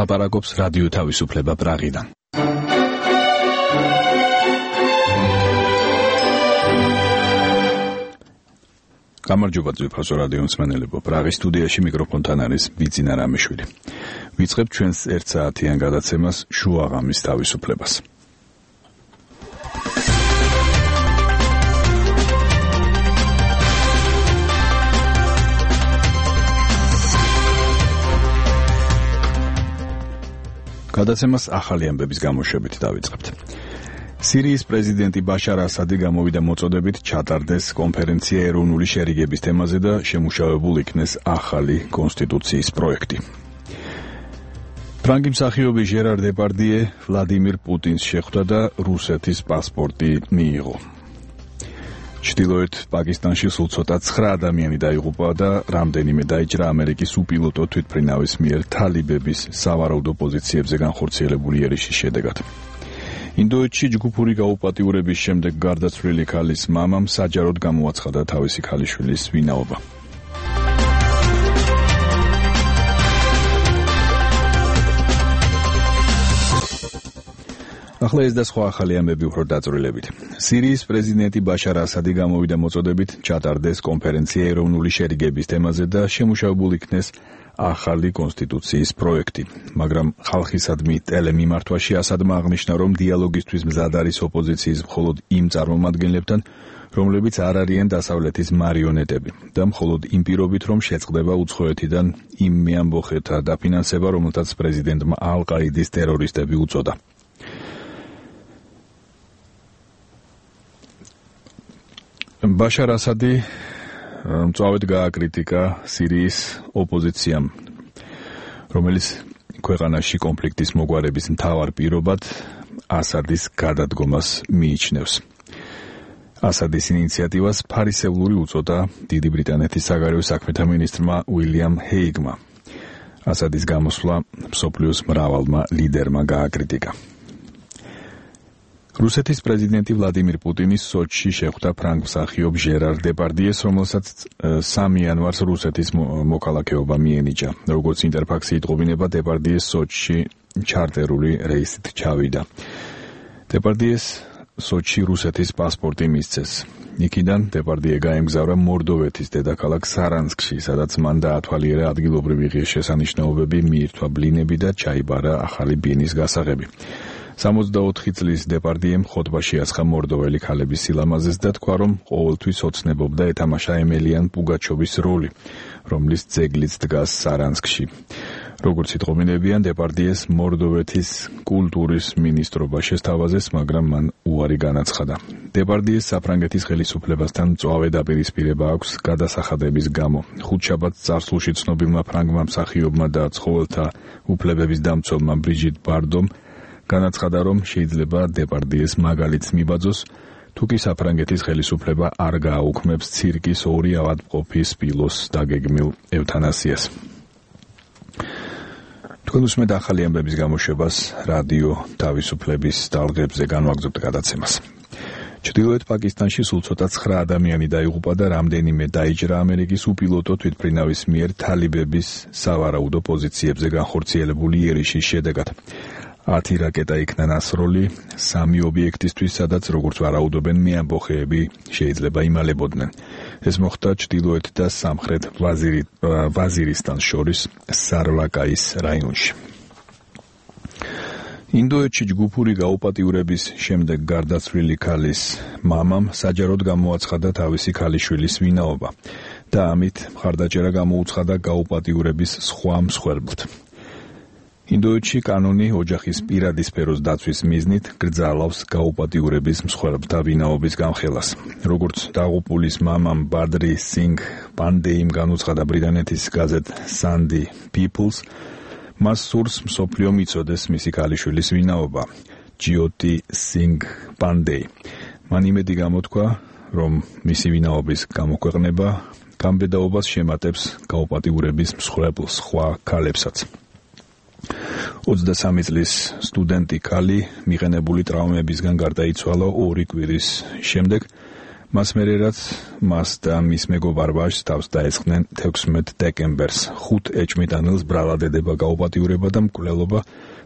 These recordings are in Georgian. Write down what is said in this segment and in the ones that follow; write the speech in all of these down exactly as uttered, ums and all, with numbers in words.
ლაპარაკობს რადიო თავისუფლება პრაღიდან. გამარჯობა ძვირფასო რადიო მსმენელებო, პრაღის სტუდიაში მიკროფონთან არის ბიძინა რამიშვილი. ვიწყებთ ჩვენს ერთ საათიან გადაცემას შუაღამის თავისუფლებას. გადაცემას ახალი ამბების გამოშვებით დავიწყებთ. სირიის პრეზიდენტი ბაშარ ასადი გამოვიდა მოწოდებით ჩატარდეს კონფერენცია ეროვნული შერიგების თემაზე და შემუშავებულ იქნეს ახალი კონსტიტუციის პროექტი. ფრანგი მსახიობი ჟერარ დეპარდიე ვლადიმირ პუტინს შეხვდა და რუსეთის პასპორტი მიიღო. ჩრდილოეთ პაკისტანში სულ ცოტა ცხრა ადამიანი დაიღუპა და რამდენიმე დაიჭრა ამერიკის უპილოტო თვითმფრინავის მიერ თალიბების სავარაუდო პოზიციებზე განხორციელებული ერიშის შედეგად. ინდოეთში ჯგუფური გაუპატიურების შემდეგ გარდაცვლილი ქალის მამამ საჯაროდ გამოაცხადა თავისი ქალიშვილის ვინაობა. ახლა ეს და სხვა ახალი ამბები უფრო დაწვრილებით. სირიის პრეზიდენტი ბაშარ ასადი გამოვიდა მოწოდებით ჩატარდეს კონფერენცია ეროვნული შერიგების თემაზე და შემუშავებულ იქნეს ახალი კონსტიტუციის პროექტი, მაგრამ ხალხისადმი ტელემიმართვაში ასადმა აღნიშნა, რომ დიალოგისთვის მზად არის ოპოზიციის მხოლოდ იმ წარმომადგენლებთან, რომლებიც არ არიან დასავლეთის მარიონეტები და მხოლოდ იმ პირობით, რომ შეწყდება უცხოეთიდან იმ მეამბოხეთა დაფინანსება, რომელთაც პრეზიდენტმა ალ-ყაიდის ტერორისტები უწოდა. ბაშარ ასადი მწვავედ გააკრიტიკა სირიის ოპოზიციამ, რომელიც ქვეყანაში კონფლიქტის მოგვარების მთავარ პირობად ასადის გადადგომას მიიჩნევს. ასადის ინიციატივას ფარისევლური უწოდა დიდი ბრიტანეთის საგარეო საქმეთა მინისტრმა უილიამ ჰეიგმა. ასადის გამოსვლა მსოფლიოს მრავალმა ლიდერმა გააკრიტიკა. რუსეთის პრეზიდენტი ვლადიმირ პუტინი სოჩში შეხვდა ფრანგ მსახიობ ჟერარ დეპარდიეს, რომელსაც სამი იანვარს რუსეთის მოქალაქეობა მიენიჭა. როგორც ინტერფაქსი იტყობინება, დეპარდიეს სოჩში ჩარტერული რეისით ჩავიდა. დეპარდიეს სოჩში რუსეთის პასპორტი მისცეს. იქიდან დეპარდიე გაემგზავრა მორდოვეთის დედაქალაქ სარანსკში, სადაც მან დაათვალიერა ადგილობრივი ღირსშესანიშნაობები, მიირთვა ბლინები და ჩაიბარა ახალი ბინის გასაღები. სამოცდაოთხი წლის დეპარდიემ ხოტბაში ასხა მორდოველი ქალების სილამაზეს და თქვა, რომ ყოველთვის ოცნებობდა ეთამაშა ემელიან პუგაჩოვის როლი, რომლის ძეგლიც დგას სარანსკში. როგორც იტყობინებიან, დეპარდიეს მორდოვეთის კულტურის მინისტრობა შესთავაზეს, მაგრამ მან უარი განაცხადა. დეპარდიეს საფრანგეთის ხელისუფლებასთან მწვავე დაპირისპირება აქვს გადასახადების გამო. ხუთშაბათს წარსულში ცნობილმა ფრანგმა მსახიობმა და ცხოველთა უფლებების დამცველმა ბრიჟიტ ბარდომ განაცხადა, რომ შეიძლება დეპარდიეს მაგალითს მიბაძოს, თუკი საფრანგეთის ხელისუფლება არ გააუქმებს ცირკის ორი ავადმყოფი სპილოს დაგეგმილ ევთანასიას. თქვენ უსმენთ ახალი ამბების გამოშვებას რადიო თავისუფლების ტალღებზე განვაგრძობთ გადაცემას. ჩრდილოეთ პაკისტანში სულ ცოტა ცხრა ადამიანი დაიღუპა და რამდენიმე დაიჭრა ამერიკის უპილოტო თვითმფრინავის მიერ თალიბების სავარაუდო პოზიციებზე განხორციელებული ერიშის შედეგად. ათი რაკეტა იქნა ნასროლი სამი ობიექტისთვის, სადაც როგორც ვარაუდობენ მეამბოხეები შეიძლება იმალებოდნენ. ეს მოხდა ჩრდილოეთ და სამხრეთ ვაზირისტანს შორის სარვაკაის რაიონში. ინდოეთში ჯგუფური გაუპატიურების შემდეგ გარდაცვლილი ქალის მამამ საჯაროდ გამოაცხადა თავისი ქალიშვილის ვინაობა და ამით მხარდაჭერა გამოუცხადა გაუპატიურების სხვა მსხვერპლთ. ინდოეთში კანონი ოჯახის პირადი სფეროს დაცვის მიზნით გრძალავს გაუპატიურების მსხვერპლთა ვინაობის გამხელას. როგორც დაღუპულის მამამ ბადრი სინგ პანდეიმ განუცხადა ბრიტანეთის გაზეთ Sunday People's, მას სურს მსოფლიო მიცოდეს მისი ქალიშვილის ვინაობა, ჯიოტი სინგ პანდეი. მან იმედი გამოთქვა, რომ მისი ვინაობის გამოქვეყნება გამბედაობას შემატებს გაუპატიურების მსხვერპლ სხვა ქალებსაც. ოცდასამი წლის სტუდენტი ქალი მიღენებული ტრავმებისგან გარდაიცვალა ორი კვირის შემდეგ, მას მერე რაც მას და მის მეგობარ ვაჟს თავს დაესხნენ თექვსმეტ დეკემბერს ხუთ ეჭვმიტანელს ბრალადედება გაუპატიურება და მკვლელობა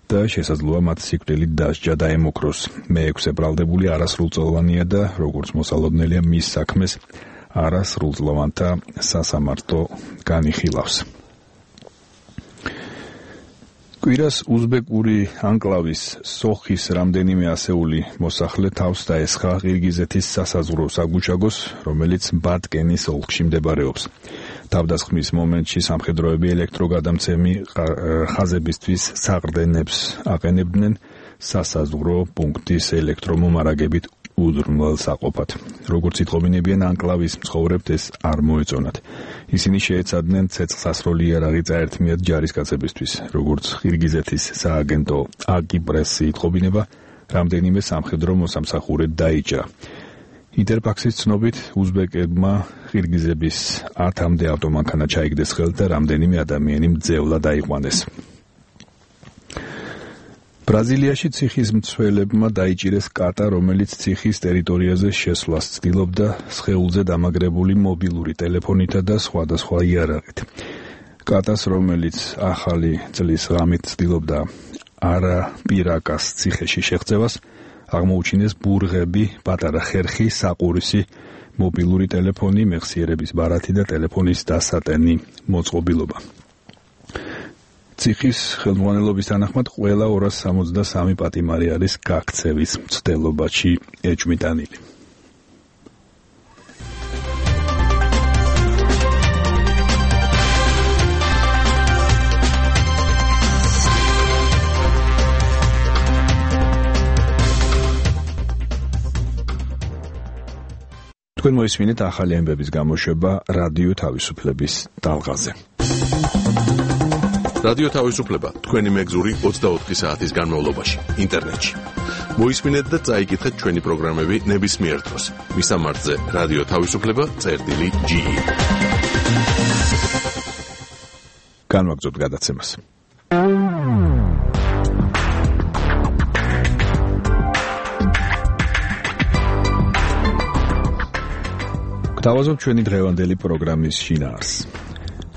და შესაძლოა მათ სიკვდილით დასჯა დაემოქროს. მეექვსე ბრალდებული არასრულწლოვანია და როგორც მოსალოდნელია მის საქმეს არასრულწლოვანთა სასამართლო განიხილავს. კვირას უზბეკური ანკლავის სოხის რამდენიმე ასეული მოსახლე თავს დაესხა ყირგიზეთის სასაზღვრო საგუშაგოს, რომელიც ბატკენის ოლქში მდებარეობს. თავდასხმის მომენტში სამხედროები ელექტროგადამცემი ხაზებისთვის საყრდენებს აყენებდნენ სასაზღვრო პუნქტის ელექტრომომარაგებით უზრუნველსაყოფად. როგორც იტყობინებიან ანკლავის მცხოვრებთ ეს არ მოეწონათ. ისინი შეეცადნენ ცეცხლსასროლი იარაღი წაერთმიათ ჯარისკაცებისთვის. როგორც ყირგიზეთის სააგენტო აკიპრესი იტყობინება, რამდენიმე სამხედრო მოსამსახურე დაიჭრა. ინტერფაქსის ცნობით უზბეკებმა ყირგიზების ათამდე ავტომანქანა ჩაიგდეს ხელთ და რამდენიმე ადამიანი მძევლად აიყვანეს. ბრაზილიაში ციხის მცველებმა დაიჭირეს კატა, რომელიც ციხის ტერიტორიაზე შესვლას ცდილობდა სხეულზე დამაგრებული მობილური ტელეფონითა და სხვადასხვა იარაღით. კატას, რომელიც ახალი წლის ღამით ცდილობდა არაპირაკას ციხეში შეღწევას, აღმოუჩინეს ბურღები, პატარა ხერხი, საყურისი, მობილური ტელეფონი, მეხსიერების ბარათი და ტელეფონის დასატენი მოწყობილობა. ციხის ხელმძღვანელობის თანახმად ყველა ორას სამოცდასამი პატიმარი არის გაქცევის მცდელობაში ეჭვმიტანილი. თქვენ მოისმინეთ ახალი ამბების გამოშვება რადიო თავისუფლების ტალღაზე. რადიო თავისუფლება თქვენი მეგზური ოცდაოთხი საათის განმავლობაში ინტერნეტში. მოისმინეთ და წაიკითხეთ ჩვენი პროგრამები ნებისმიერ დროს. მისამართზე რადიო თავისუფლება წერტილი ჯი. განვაგრძობთ გადაცემას. გვთავაზობთ ჩვენი დღევანდელი პროგრამის შინაარსს.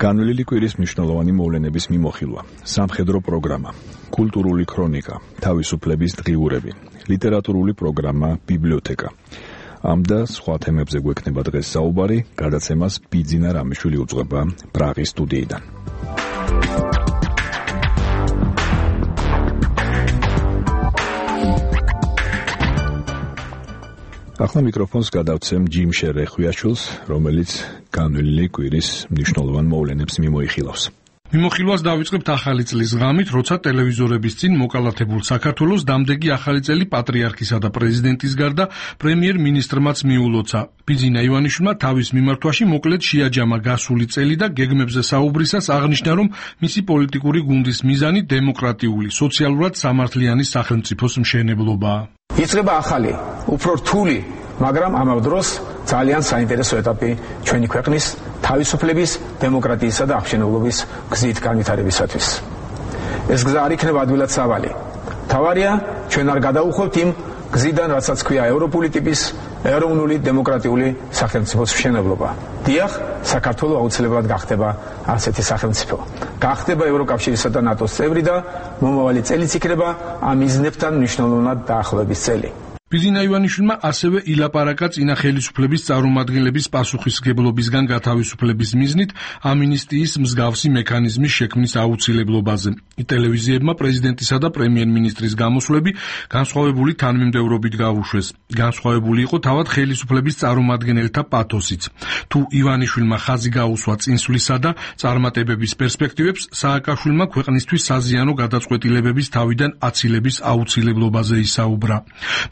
განვლილი კვირის მნიშვნელოვანი მოვლენების მიმოხილვა, სამხედრო პროგრამა, კულტურული ქრონიკა, თავისუფლების დღიურები, ლიტერატურული პროგრამა, ბიბლიოთეკა. ამ და სხვა თემებზე გვექნება დღეს საუბარი, გადაცემას ბიძინა რამიშვილი უძღვება პრაღის სტუდიიდან. ახლა მიკროფონს გადავცემ ჯიმ შერეხვიაშვილს, რომელიც განვლილი კვირის მნიშვნელოვან მოვლენებს მიმოიხილავს. მიმოხილვას დავიწყებთ ახალი წლის ღამით, როცა ტელევიზორების წინ მოკალათებულ საქართველოს დამდეგი ახალი წელი პატრიარქისა და პრეზიდენტის გარდა პრემიერ-მინისტრმაც მიულოცა. ბიძინა ივანიშვილმა თავის მიმართვაში მოკლედ შეაჯამა გასული წელი და გეგმებზე საუბრისას აღნიშნა, რომ მისი პოლიტიკური გუნდის მიზანი დემოკრატიული, სოციალურად სამართლიანი სახელმწიფოს მშენებლობაა. იწყება ახალი, უფრო რთული, მაგრამ ამავე დროს ძალიან საინტერესო ეტაპი ჩვენი ქვეყნის თავისუფლების, დემოკრატიისა და აღმშენებლობის გზით განვითარებისათვის. ეს გზა არ იქნება ადვილად სავალი. თავარია, ჩვენ არ გადაუხვევთ იმ გზიდან, რასაც ქვია ევროპული ტიპის ეროვნული დემოკრატიული სახელმწიფოს მშენებლობა. დიახ, საქართველო აუცილებლად გახდება ასეთი სახელმწიფო. გახდება ევროკავშირისა და ნატოს წევრი და მომავალი წელიც იქნება ამ მიზნებთან მნიშვნელოვნად დაახლოების წელი. ბიძინა ივანიშვილმა ასევე ილაპარაკა წინა ხელისუფლების წარმომადგენლების პასუხისმგებლობისგან გათავისუფლების მიზნით ამინისტიის მსგავსი მექანიზმის შექმნის აუცილებლობაზე. ტელევიზიებმა პრეზიდენტისა და პრემიერ-მინისტრის გამოსვლები განსხვავებული თანმიმდევრობით გაუშვეს. განსხვავებული იყო თავად ხელისუფლების წარმომადგენელთა პათოსიც. თუ ივანიშვილმა ხაზი გაუსვა წინსვლისა და წარმატებების პერსპექტივებს, სააკაშვილმა ქვეყნისთვის საზიანო გადაწყვეტილებების თავიდან აცილების აუცილებლობაზე ისაუბრა.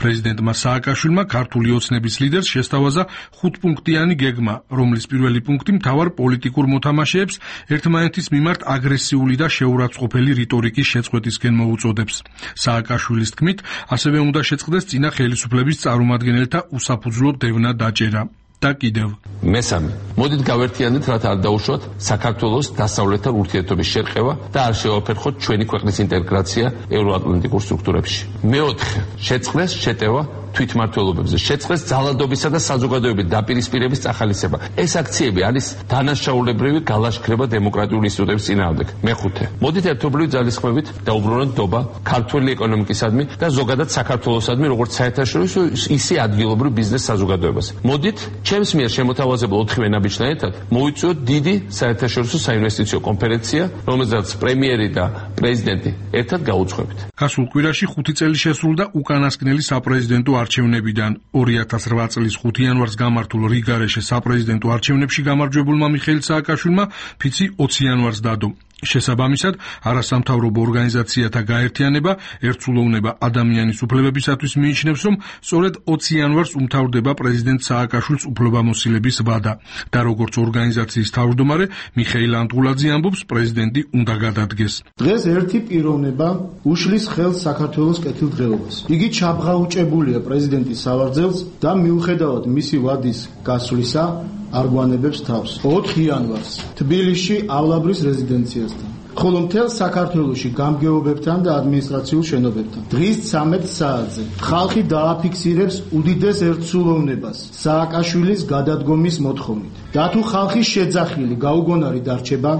პრეზიდენტმა სააკაშვილმა ქართული ოცნების ლიდერს შესთავაზა ხუთპუნქტიანი გეგმა, რომლის პირველი პუნქტი მთავარ პოლიტიკურ მოთამაშეებს ერთმანეთის მიმართ აგრესიული და შეურაცხყოფელი რიტორიკის შეწყვეტისკენ მოუწოდებს. სააკაშვილის თქმით, ასევე უნდა შეწყდეს წინა ხელისუფლების წარმომადგენელთა უსაფუძვლო დევნა დაჭერა. და კიდევ მესამე მოდით გავერთიანდეთ, რათა არ დაუშვათ საქართველოს დასავლეთთან ურთიერთობის შერყევა და არ შევაფერხოთ ჩვენი ქვეყნის ინტეგრაცია ევროატლანტიკურ სტრუქტურებში. მეოთხე, შეწყდეს შეტევა თვითმმართველობებზე, შეწყდეს ძალადობისა და საზოგადოების დაპირისპირების წახალისება. ეს აქციები არის დანაშაულებრივი გალაშქრება დემოკრატიული ინსტიტუტების წინააღმდეგ. მეხუთე, მოდით ერთობლივი ძალისხმევით დაუბრუნოთ ნდობა ქართული ეკონომიკისადმი და ზოგადად საქართველოსადმი, როგორც საერთაშორისო, ისე ადგილობრივ ბიზნეს საზოგადოებას. მოდით ჩემს მიერ შემოთავაზებულ ოთხივე ნაბიჯთან ერთად მოიწვიოთ დიდი საერთაშორისო საინვესტიციო კონფერენცია, რომელზეც პრემიერი და პრეზიდენტი ერთად გაუძღვებით. გასულ კვირაში ხუთი წელი შესრულდა უკანასკნელი საპრეზიდენტო არჩევნებიდან. ორი ათას რვა წლის ხუთი იანვარს გამართულ რიგარეშე საპრეზიდენტო არჩევნებში გამარჯვებულმა მიხეილ სააკაშვილმა ფიცი ოცი იანვარს დადო. შესაბამისად, არასამთავრობო ორგანიზაციათა გაერთიანება ერთსულოვნება ადამიანის უფლებებისათვის მიიჩნევს, რომ სწორედ ოცი იანვარს უმთავრდება პრეზიდენტ სააკაშვილს უფლებამოსილების ვადა და როგორც ორგანიზაციის თავმჯდომარე მიხეილ ანდღულაძე ამბობს, პრეზიდენტი უნდა გადადგეს. დღეს ერთი პიროვნება უშლის ხელს საქართველოს კეთილდღეობას. იგი ჩაბღაუჭებულია პრეზიდენტის სავარძელს და მიუხედავად მისი ვადის გასვლისა არ გვანებებს თავს. ოთხი იანვარს თბილისში ავლაბრის რეზიდენციასთან, ხოლო მთელ საქართველოში გამგეობებთან და ადმინისტრაციულ შენობებთან. დღის ცამეტ საათზე ხალხი დააფიქსირებს უდიდეს ერთსულოვნებას სააკაშვილის გადადგომის მოთხოვნით. და თუ ხალხის შეძახილი გაუგონარი დარჩება,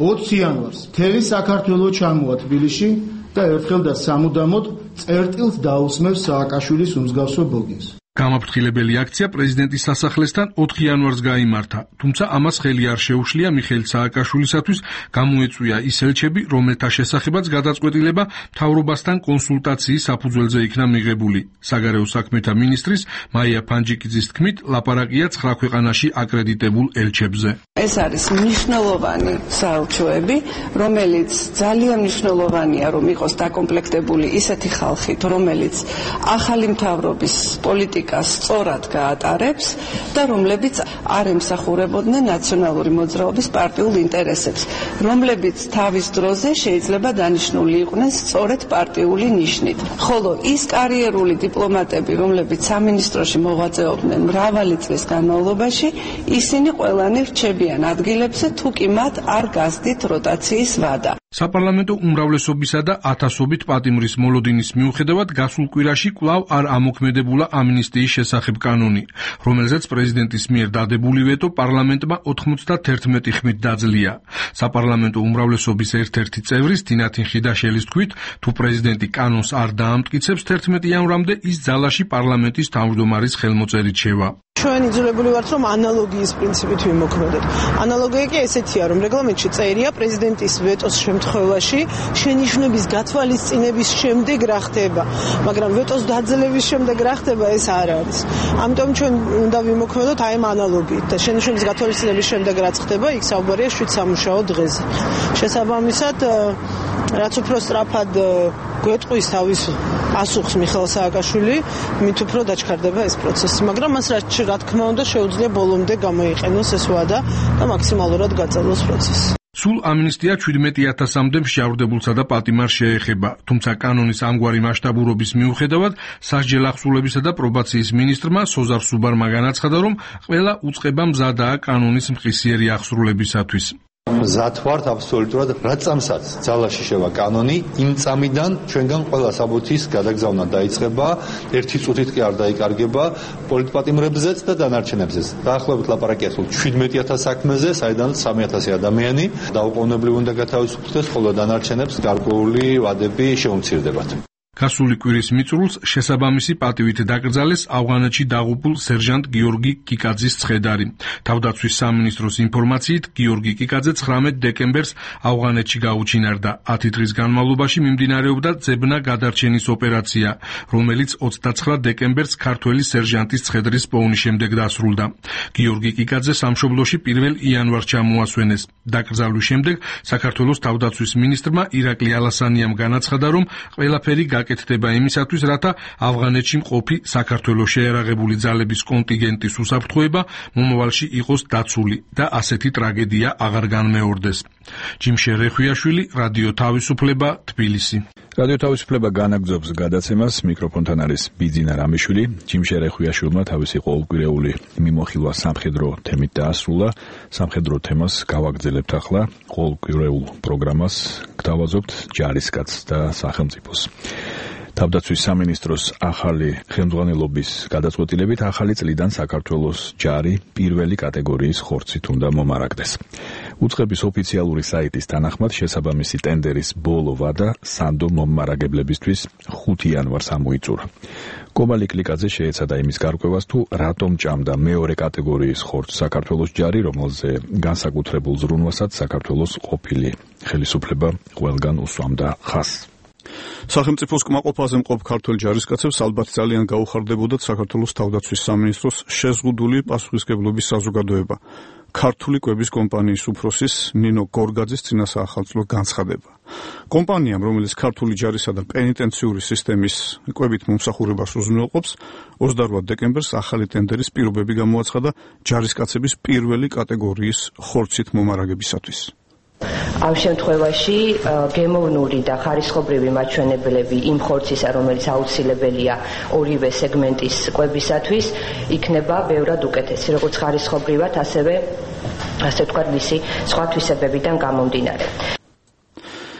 ოცი იანვარს მთელი საქართველო ჩამოვა თბილისში და ერთხელ და სამუდამოდ წერტილს დაусმევს სააკაშვილის უმსგავსო ბოგინს. გამაფრთხილებელი აქცია პრეზიდენტის სასახლესთან ოთხი იანვარს გაიმართა, თუმცა ამას ხელი არ შეუშლია მიხეილ სააკაშვილისათვის გამოეწვია ის ელჩები, რომელთა შესახებაც გადაწყვეტილება მთავრობასთან კონსულტაციის საფუძველზე იქნა მიღებული. საგარეო საქმეთა მინისტრის მაია ფანჯიკიძის თქმით, ლაპარაკია ცხრა ქვეყანაში აკრედიტებულ ელჩებზე. ეს არის მნიშვნელოვანი საელჩოები, რომელიც ძალიან მნიშვნელოვანია, რომ იყოს დაკომპლექტებული ისეთი ხალხით, რომელიც ახალი მთავრობის პოლიტიკას სწორად გაატარებს და რომლებიც არ ემსახურებოდნენ ნაციონალური მოძრაობის პარტიულ ინტერესებს, რომლებიც თავის დროზე შეიძლება დანიშნული იყვნენ სწორედ პარტიული ნიშნით. ხოლო ის კარიერული დიპლომატები, რომლებიც სამინისტროში მოღვაწეობდნენ მრავალი წლის განმავლობაში, ისინი ყველანი რჩებიან ადგილებზე, თუ კი მათ არ გასდით როტაციის ვადა. საპარლამენტო უმრავლესობისა და ათასობით პატიმრის მოლოდინის მიუხედავად გასულ კვირაში კვლავ არ ამოქმედებულა ამნისტიის შესახებ კანონი, რომელზეც პრეზიდენტის მიერ დადებული ვეტო პარლამენტმა ოცდაათი ხმით დაძლია. საპარლამენტო უმრავლესობის ერთ-ერთი წევრის თინათინ ხიდაშელის თქმით, თუ პრეზიდენტი კანონს არ დაამტკიცებს თერთმეტი იანვრამდე, ის ძალაში პარლამენტის თავმჯდომარის ხელმოწერით შევა. ჩვენ იძულებული ვართ, რომ ანალოგიის პრინციპით ვიმოქმედოთ. ანალოგია კი ესეთია, რომ რეგლამენტში წერია პრეზიდენტის ვეტოს შემთხვევაში შენიშვნების გათვალისწინების შემდეგ რა ხდება, მაგრამ ვეტოს დაძლევის შემდეგ რა ხდება, ეს არ არის. ამიტომ ჩვენ უნდა ვიმოქმედოთ აი ამ ანალოგიით და შენიშვნების გათვალისწინების შემდეგ რაც ხდება, იქ საუბარია შვიდ სამუშაო დღეზე. შესაბამისად, რაც უფრო სწრაფად გვეტყვის თავის პასუხს მიხეილ სააკაშვილი, მით უფრო დაჩქარდება ეს პროცესი, მაგრამ მას რა თქმა უნდა შეუძლია ბოლომდე გამოიყენოს ეს ვადა და მაქსიმალურად გაწელოს პროცესი. სულ ამნისტია შვიდმეტი ათასამდე მსჯავრდებულსა და პატიმარს შეეხება, თუმცა კანონის ამგვარი მასშტაბურობის მიუხედავად, სასჯელ ახსულებისა და პრობაციის მინისტრმა სოზარ სუბარმა განაცხადა, რომ ყველა უწყება მზადაა კანონის მყისიერი ახსრულებისათვის. მზად ვართ აბსოლუტურად რა წამსაც ძალაში შევა კანონი, იმ წამიდან ჩვენგან ყველა საბუთის გადაგზავნა დაიწყება, ერთი წუთით კი არ დაიკარგება პოლიტპატიმრებზეც და დანარჩენებზეც. დაახლოებით ლაპარაკია სულ შვიდმეტი ათას საქმეზე, საიდანაც სამი ათასი ადამიანი დაუყოვნებლივ უნდა გათავისუფლდეს, ხოლო დანარჩენებს გარკვეული ვადები შეუმცირდებათ. გასული კვირის მიწურულს შესაბამისი პატივით დაკრძალეს ავღანეთში დაღუპულ სერჟანტ გიორგი კიკაძის ცხედარი. თავდაცვის სამინისტროს ინფორმაციით, გიორგი კიკაძე ცხრამეტ დეკემბერს ავღანეთში გაუჩინარდა. ათი დღის განმავლობაში მიმდინარეობდა ძებნა გადარჩენის ოპერაცია, რომელიც ოცდაცხრა დეკემბერს ქართველი სერჟანტის ცხედრის პოვნის შემდეგ დასრულდა. გიორგი კიკაძე სამშობლოში პირველ იანვარს ჩამოასვენეს. დაკრძალვის შემდეგ საქართველოს თავდაცვის მინისტრმა ირაკლი ალასანიამ განაცხადა, რომ ყველაფერი გაკეთდება იმისათვის, რათა ავღანეთში მყოფი საქართველოს შეერაღებული ძალების კონტინგენტის უსაფრთხოება მომავალში იყოს დაცული და ასეთი ტრაგედია აღარ განმეორდეს. ჯიმშე რეხვიაშვილი, რადიო თავისუფლება, თბილისი. რადიო თავისუფლება განაგრძობს გადაცემას. მიკროფონთან არის ბიძინა რამიშვილი. ჯიმშერ ეხვიაშვილმა თავისი ყოველკვირეული მიმოხილვა სამხედრო თემით დაასრულა. სამხედრო თემას გავაგრძელებთ ახლა. ყოველკვირეულ პროგრამას გთავაზობთ ჯარისკაცს და სახელმწიფოს. თავდაცვის სამინისტროს ახალი ხელმძღვანელობის გადაწყვეტილებით ახალი წლიდან საქართველოს ჯარი პირველი კატეგორიის ხორცით უნდა მომარაგდეს. უწყების ოფიციალური საიტის თანახმად შესაბამისი ტენდერის ბოლო ვადა სანდო მომარაგებლებისთვის ხუთი იანვარს ამოიწურა. კომალი კლიკაძე შეეცადა იმის გარკვევას, თუ რატომ ჭამდა მეორე კატეგორიის ხორცს საქართველოს ჯარი, რომელზე განსაკუთრებულ ზრუნვასაც საქართველოს ყოფილი ხელისუფლება ყველგან უსვამდა ხაზს. სახელმწიფოს კმაყოფაზე მყოფ ქართველ ჯარისკაცებს ალბათ ძალიან გაუხარდებოდათ საქართველოს თავდაცვის სამინისტროს შეზღუდული პასუხისმგებლობის საზოგადოება. ქართული კვების კომპანიის უფროსის ნინო გორგაძის წინასაახალწლო განცხადება. კომპანიამ, რომელიც ქართული ჯარისა და პენიტენციური სისტემის კვებით მომსახურებას უზრუნველყოფს, ოცდაორ დეკემბერს ახალი ტენდერის პირობები გამოაცხადა ჯარისკაცების პირველი კატეგორიის ხორცით მომარაგებისათვის. ამ შემთხვევაში გემოვნური და ხარისხობრივი მაჩვენებლები იმ ხორცისა, რომელიც აუცილებელია ორივე სეგმენტის კვებისათვის, იქნება ბევრად უკეთესი, როგორც ხარისხობრივად, ასევე ასე ვთქვათ, მისი სხვა თვისებებიდან გამომდინარე.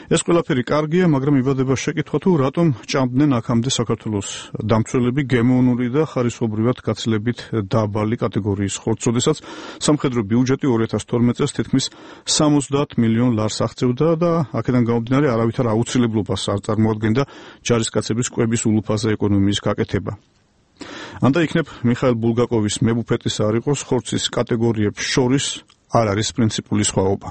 ეს ყველაფერი კარგია, მაგრამ იბადება შეკითხვა, თუ რატომ ჭამდნენ აქამდე საქართველოს დამცველები გემოვნური და ხარისხობრივად გაცილებით დაბალი კატეგორიის ხორცს, როდესაც სამხედრო ბიუჯეტი ორი ათას თორმეტ წელს თითქმის სამოცდაათ მილიონ ლარს აღწევდა და აქედან გამომდინარე არავითარ აუცილებლობას არ წარმოადგენდა ჯარისკაცების კვების ულუფაზე ეკონომიის გაკეთება. ანდა იქნებ მიხაილ ბულგაკოვის მებუფეტის არ იყოს ხორცის კატეგორიებს შორის არ არის პრინციპული სხვაობა.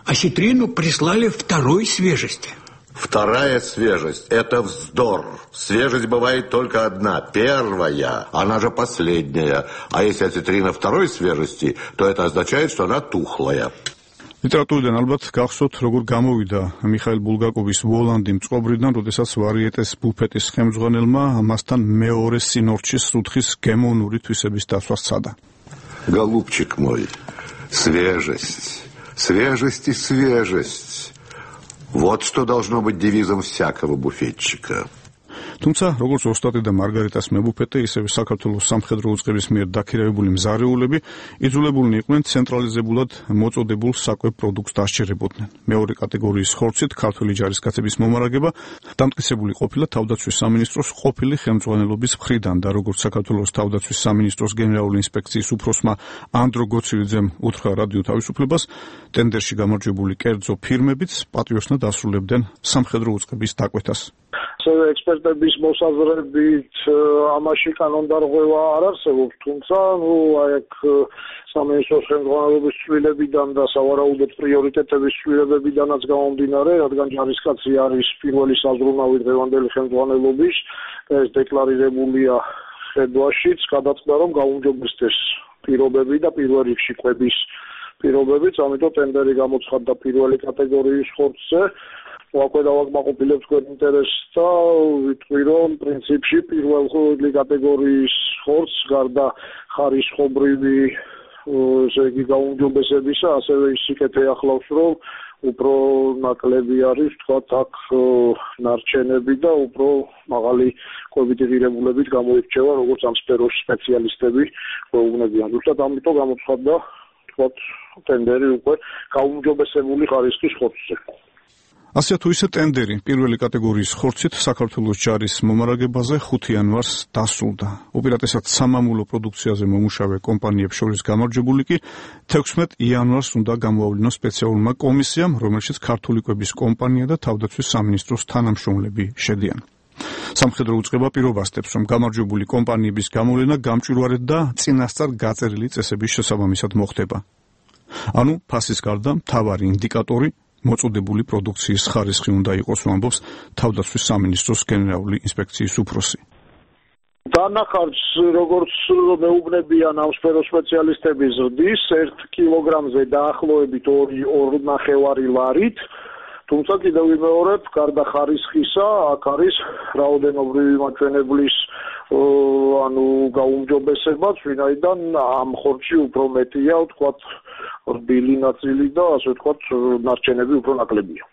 Осетрину прислали второй свежести. Вторая свежесть – это вздор. Свежесть бывает только одна, первая, она же последняя. А если осетрина второй свежести, то это означает, что она тухлая. ლიტერატურიდან ალბათ გახსოვთ, როგორ გამოვიდა მიხაილ ბულგაკოვის ვოლანდი მწყობრიდან, როდესაც ვარიეტეს ბუფეტის ხელმძღვანელმა ამასთან მეორე სინორჩის სუთხის გემოვნური თვისების დასვას სცადა. Голубчик мой, свежесть. Свежесть и свежесть. Вот что должно быть девизом всякого буфетчика. თუმცა, როგორც ოსტატი და მარგარიტას მებუფეტე, ისევე საქართველოს სამხედრო უწყების მიერ დაქირავებული მზარეულები იძულებულნი იყვნენ ცენტრალიზებულად მოწოდებულ საკვებ პროდუქტს დასჯერებოდნენ. მეორე კატეგორიის ხორცით ქართველი ჯარისკაცების მომარაგება დამტკიცებული ყოფილა თავდაცვის სამინისტროს ყოფილი ხელმძღვანელობის მხრიდან და როგორც საქართველოს თავდაცვის სამინისტროს გენერალური ინსპექციის უფროსმა ანდრო გოცილიძემ უთხრა რადიო თავისუფლებას, ტენდერში გამარჯვებული კერძო ფირმებიც პატიოსნად ასრულებდნენ სამხედრო უწყების დაკვეთას. ექსპერტების მოსაზრებით ამაში კანონდარღვევა არ არსებობს, თუმცა ნუ აქ სამინისტროს ხელმძღვანელობის ცვლილებიდან და სავარაუდოდ პრიორიტეტების ცვლილებებიდანაც გამომდინარე, რადგან ჯარისკაცი არის პირველი საზრუნავი დღევანდელი ხელმძღვანელობის, ეს დეკლარირებულია ხედვაშიც, გადაწყდა რომ გაუმჯობესდეს პირობები და პირველ რიგში კვების პირობებიც, ამიტომ ტენდერი გამოცხადდა პირველი კატეგორიის ხორცზე. ვაკვე დავაკმაყოფილებ თქვენ ინტერესს და ვიტყვი რომ პრინციპში პირველი კატეგორიის ხორცს გარდა ხარისხობრივი ესე იგი გაუმჯობესებისა, ასევე ისიკეთე ახლავს რომ უფრო ნაკლები არის თქვათ აქ ნარჩენები და უფრო მაღალი კვებითი ღირებულებით გამოირჩევა როგორც ამ სფეროს სპეციალისტები გვეუბნებიან. ზუსტად ამიტომ გამოცხადდა თქვათ ტენდერი უკვე გაუმჯობესებული ხარისხის ხორცზე. ასე თუ ისე ტენდერი პირველი კატეგორიის ხორცით საქართველოს ჯარის მომარაგებაზე ხუთი იანვარს დასრულდა. უპირატესად სამამულო პროდუქციაზე მომუშავე კომპანიებს შორის გამარჯვებული კი თექვსმეტ იანვარს უნდა გამოავლინოს სპეციალურმა კომისიამ, რომელშიც ქართული კვების კომპანია და თავდაცვის სამინისტროს თანამშრომლები შედიან. სამხედრო უწყება პირობასდებს, რომ გამარჯვებული კომპანიების გამოვლენა გამჭვირვალედ და წინასწარ გაწერილი წესების შესაბამისად მოხდება. ანუ ფასის გარდა მთავარი ინდიკატორი მოწოდებული პროდუქციის ხარისხი უნდა იყოს, ამბობს თავდაცვის სამინისტროს გენერალური ინსპექციის უფროსი. დანახარჯს როგორც მეუბნებიან ამ სფეროს სპეციალისტები ზრდის ერთ კილოგრამზე დაახლოებით ორი ნახევარი ლარით, თუმცა კიდევ ვიმეორებ, გარდა ხარისხისა, აქ არის რაოდენობრივი მაჩვენებლის ანუ გაუმჯობესებაც, ვინაიდან ამ ხორცში უფრო მეტია, ვთქვათ, რბილი ნაწილი და ასე ვთქვათ, ნარჩენები უფრო ნაკლებია.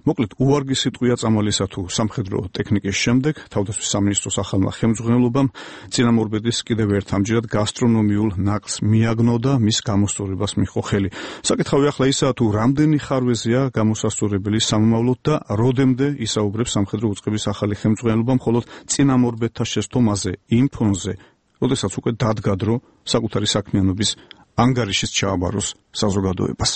მოკლედ, უვარგი სიტყვია წამალისა თუ სამხედრო ტექნიკის შემდეგ თავდაცვის სამინისტროს ახალმა ხელმძღვანელობამ წინამორბედის კიდევ ერთ ამჯერად გასტრონომიულ ნაყს მიაგნო და მის გამოსწორებას მიჰყო ხელი. საკითხავი ახლა ისაა თუ რამდენი ხარვეზეა გამოსასწორებელი სამომავლოდ და როდემდე ისაუბრებს სამხედრო უწყების ახალი ხელმძღვანელობა მხოლოდ წინამორბედთა შეცდომაზე იმ ფონზე, როდესაც უკვე დადგა დრო საკუთარი საქმიანობის ანგარიშის ჩააბაროს საზოგადოებას.